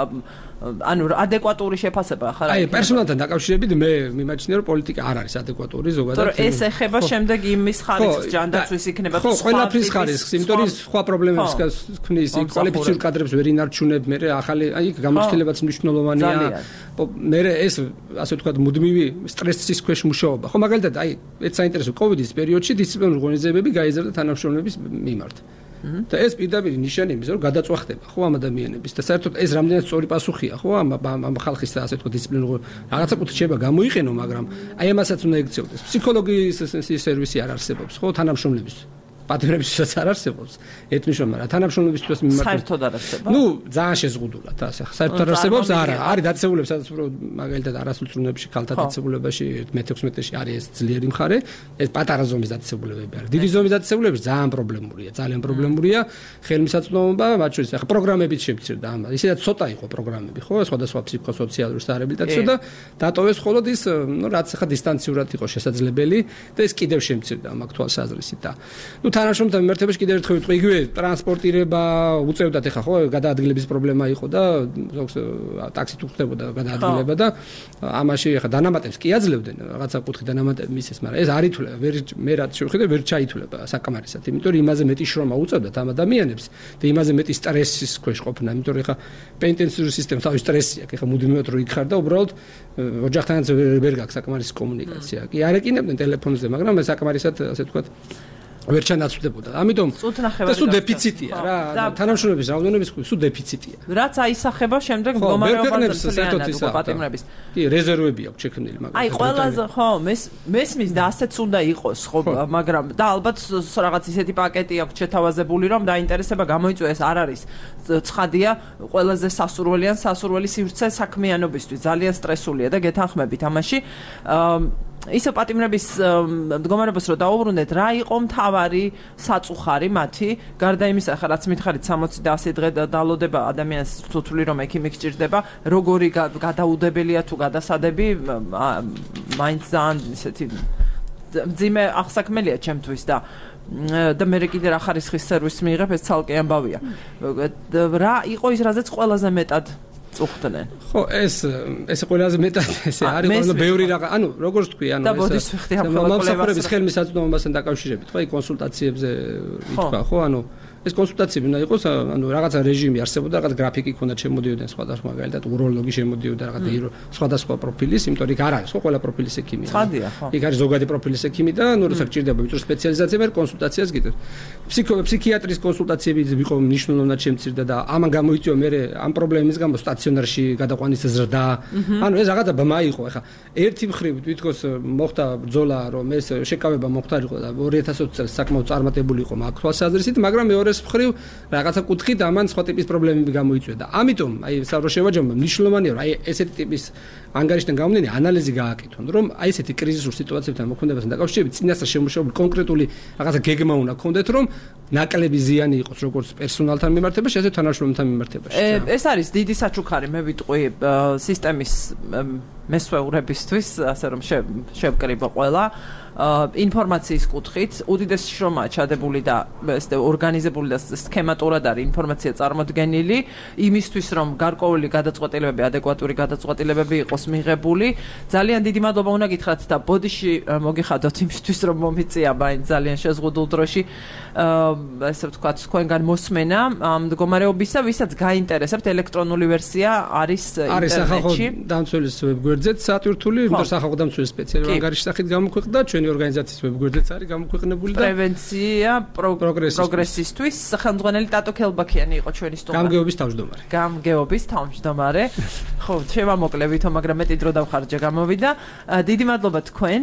ანუ ადეკვატური შეფასება ხარ აი პერსონალთან დაკავშირებით მე მიმაჩნია რომ პოლიტიკა არ არის ადეკვატური ზოგადად თორე ეს ეხება შემდეგ იმის ხარისხს ჯანდაცვის იქნება თუ სხვა ყველაფრის ხარისხს იმიტომ რომ სხვა პრობლემებს ქმნის კვალიფიციურ კადრებს ვერ ინარჩუნებ მე ახალი აი გამოცდილებაც მნიშვნელოვანია მე ეს ასე ვთქვათ მუდმივი სტრესის ქვეშ მუშაობა ხო მაგალითად აი ეს საინტერესო კოვიდის პერიოდში დისციპლინური ღონისძიებები გაიზარდა თანამშრომლების მიმართ და ეს პირდაპირ ნიშანი იმის რომ გადაწყვეტება ხო ამ ადამიანების და საერთოდ ეს რამდენად სწორი პასუხია ხო ამ ხალხის ასე ვთქვათ დისციპლინური რაღაცა კუთხით შეიძლება გამოიყენო მაგრამ აი ამასაც უნდა ექცეოდეს ფსიქოლოგიის სერვისი არ არსებობს ხო თანამშრომლების პატიმრებისაც არ არსებობს ეთნიშნულმა რა თანამშრომლებისთვის მიმართ საერთოდ არ არსებობს ნუ ძალიან შეზღუდულად ასე საერთოდ არ არსებობს არა არის დაწესებულება სადაც უფრო მაგალითად არასრულწლოვნებაში ქალთა დაწესებულებაში 16-ში არის ეს ძლიერი მხარე ეს პატარა ზომის დაწესებულებები არის დიდი ზომის დაწესებულებები ძალიან პრობლემურია ხელმისაწვდომობა მათ შორის ახლა პროგრამებიც შემცირდა ამ ისედაც ცოტა იყო პროგრამები ხო სხვადასხვა ფსიქოსოციალური საერაბილიტაციო და დატოვეს მხოლოდ ის ნუ რაც ახლა დისტანციურად იყო შესაძლებელი და ეს კიდევ შემცირდა ამ აქტუალ საზრისით და ნუ თანამშრომლთან მიმართებაში კიდევ ერთხელ ვიტყვი იგივე ტრანსპორტირება უწევდათ ეხა ხო გადაადგილების პრობლემა იყო და ზოგს ტაქსით უხდებოდა გადაადგილება და ამაში ეხა დანამატებს კი აძლევდნენ რაღაცა კუთხით დანამატები მისცეს მაგრამ ეს არ ითვლება მე რაც შევხედე ვერ ჩაითვლება საკამარისად იმიტომ რომ იმაზე მეტი შრომა უწევდათ ამ ადამიანებს და იმაზე მეტი სტრესის ქვეშ ყოფნა იმიტომ რომ ეხა პენიტენციური სისტემა თავის სტრესი აქვს ეხა მუდმივად რო იქ ხარ და უბრალოდ ოჯახთანაც ვერ გაქვს საკამარისი კომუნიკაცია კი არ ეკინებდნენ ტელეფონზე მაგრამ საკამარისად ასე ვთქვათ ვერ ჩანაცვლებოდა. ამიტომ სულ დეფიციტია რა. თანამშრომლების რაოდენობის სულ დეფიციტია. რაც აისახება შემდეგ მდგომარეობაზე პატიმრების. კი, რეზერვები აქვს შექმნილი, მაგრამ აი, ყველაზე ხო, მესმის და ასეც უნდა იყოს, ხო, მაგრამ და ალბათ რაღაც ისეთი პაკეტი აქვს შეთავაზებული, რომ დაინტერესება გამოიწვია ეს არ არის. ცხადია, ყველაზე სასურველი სივრცე საქმიანობისთვის, ძალიან სტრესულია და გეთანხმებით ამაში. ისო პატიმრების მდგომარეობას რო დაუბრუნდეთ, რა იყო მთავარი საწუხარი მათი, გარდა იმისა, ხა რაც მითხარით 60 და 100 დღე დალოდება ადამიანს თუთვლი რომ ექიმი გჭირდება, როგორი გადაუდებელია თუ გადასადები, მაინც ძალიან ისეთი ძიმე აღსაქმელია ჩემთვის და და მე კიდე რა ხარისხის სერვისს მიიღებ, ეს ცალკე ამბავია. რა იყო ის, რაზეც ყველაზე მეტად წუხდნენ? ხო, ეს ყველაზე მეტად ესე არის, ყველა ბევრი რაღაც, ანუ როგორც თქვი, ანუ და ბოდის ვიხდი ამ მომსახურების ხელმისაწვდომობასთან დაკავშირებით, ხო, კონსულტაციებზე ითქვა, ხო, ანუ ეს კონსულტაციები უნდა იყოს, ანუ რაღაცა რეჟიმი არსებობდა, რაღაც გრაფიკი ქონდა, შემოდიოდნენ სხვადასხვა მაგალითად უროლოგი შემოდიოდა, რაღაც სხვადასხვა პროფილის, იმიტომ რომ იქ არ არის, ხო, ყველა პროფილის ექიმი. ცხადია, ხო. იქ არის ზოგადი პროფილის ექიმი და ნუ როცა გჭირდება ვიწრო სპეციალიზაცია, მე კონსულტაციას გიტევ. ფსიქიატრის კონსულტაციები ვიყო მნიშვნელოვნად შემცირდა და ამან გამოიწვია მე ამ პრობლემის გამო სტაციონარში გადაყვანის ზრდა. ანუ ეს რაღაცა ბმა იყო, ეხა ერთი მხრივ თვითონ მოხდა ბრძოლა, რომ ეს შეკავება მოხდარიყო და 2020 წელს საკმაოდ წარმატებული იყო მაგ თვალსაზრისით, მაგრამ მეორე მხრივ რაღაცა კუთხით ამან სხვა ტიპის პრობლემები გამოიწვია და ამიტომ აი საუბრ შევაჯამებ მნიშვნელოვანია რომ აი ესეთი ტიპის ანგარიშთან გამომდინე ანალიზი გააკეთონ რომ აი ესეთი კრიზისურ სიტუაციებთან მოქმედებასთან დაკავშირებით წინასწარ შემოშობილი კონკრეტული რაღაცა გეგმა უნდა გქონდეთ რომ ნაკლები ზიანი იყოს როგორც პერსონალთან მიმართებაში ასევე თანამშრომელთან მიმართებაში ეს არის დიდი საჩუქარი მე ვიტყვი სისტემის მესვეურებისთვის ასე რომ შევკრიბო ყველა ინფორმაციის კუთხით უდიდესი შრომაა ჩადებული და ორგანიზებული და სქემატურად არის ინფორმაცია წარმოდგენილი იმისთვის რომ გარკვეული გადაწყვეტილებები ადეკვატური გადაწყვეტილებები იყოს მიღებული ძალიან დიდი მადლობა უნდა გითხრათ და ბოდიში მოგიხადოთ იმისთვის რომ მომიწია მაინც ძალიან შეზღუდულ დროში ესე ვთქვათ თქვენგან მოსმენა მდგომარეობისა ვისაც გაინტერესებთ ელექტრონული ვერსია არის ინტერნეტში დამცველის ვებგვერდზეც სატვირთული იმიტომ სახალხო დამცველის სპეციალური ანგარიშის სახით გამოქვეყნდა ჩვენი ორგანიზაციის ვებგვერდზეც არის გამოქვეყნებული და პრევენცია პროგრესისთვის სახელმძღვანელი ტატო ქელბაქიანი იყო ჩვენი სტუმარი გამგეობის თავმჯდომარე ხო შევამოკლე ვითომ მაგრამ მეტი დრო დავხარჯა გამოვიდა დიდი მადლობა თქვენ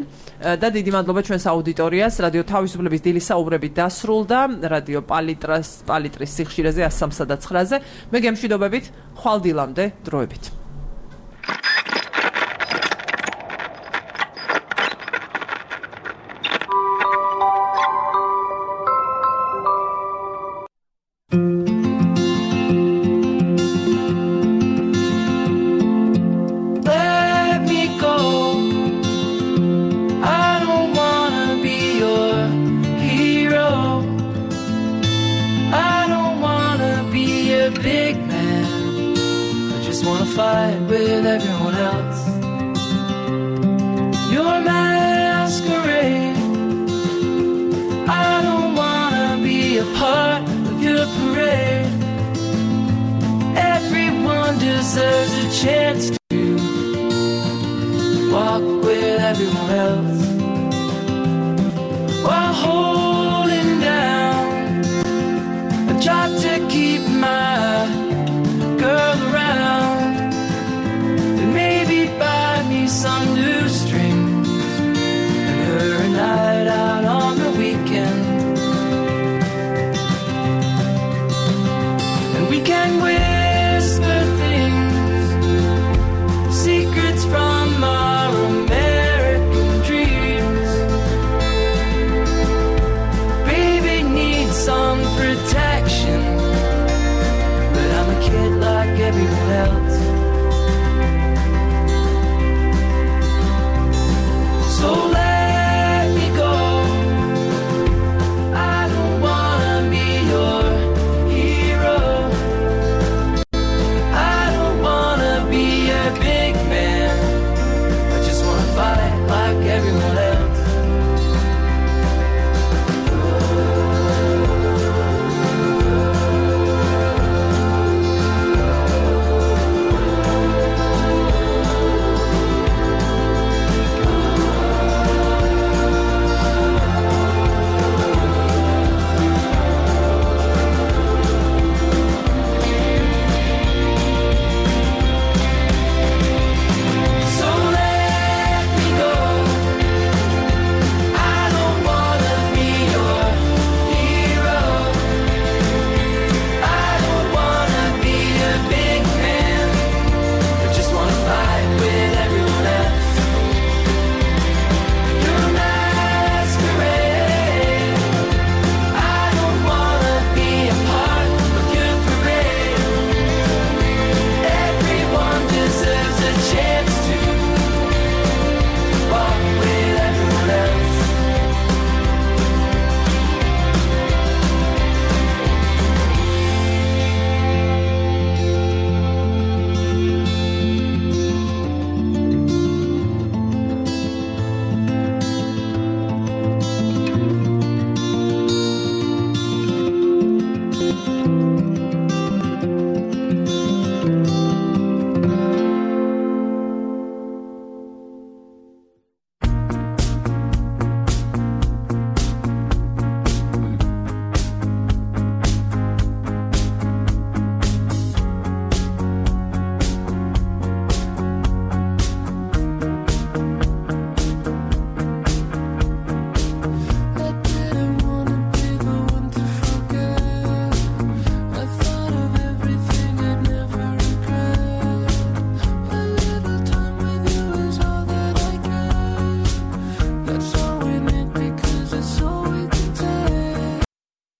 და დიდი მადლობა ჩვენს აუდიტორიას რადიო თავისუფლების დილის საუბრები დასრულდა რადიო პალიტრის სიხშირეზე 103 და 9-ზე მე გემშვიდობებით ხვალ დილამდე დროებით fight with everyone else. You're masquerade. I don't wanna be a part of your parade. Everyone deserves a chance to walk with everyone else while holding down a job to keep my girl around. Maybe buy me some new strings and her a night out on the weekend. And we can whisper things, secrets from our American dreams. Baby needs some protection, but I'm a kid like everyone else.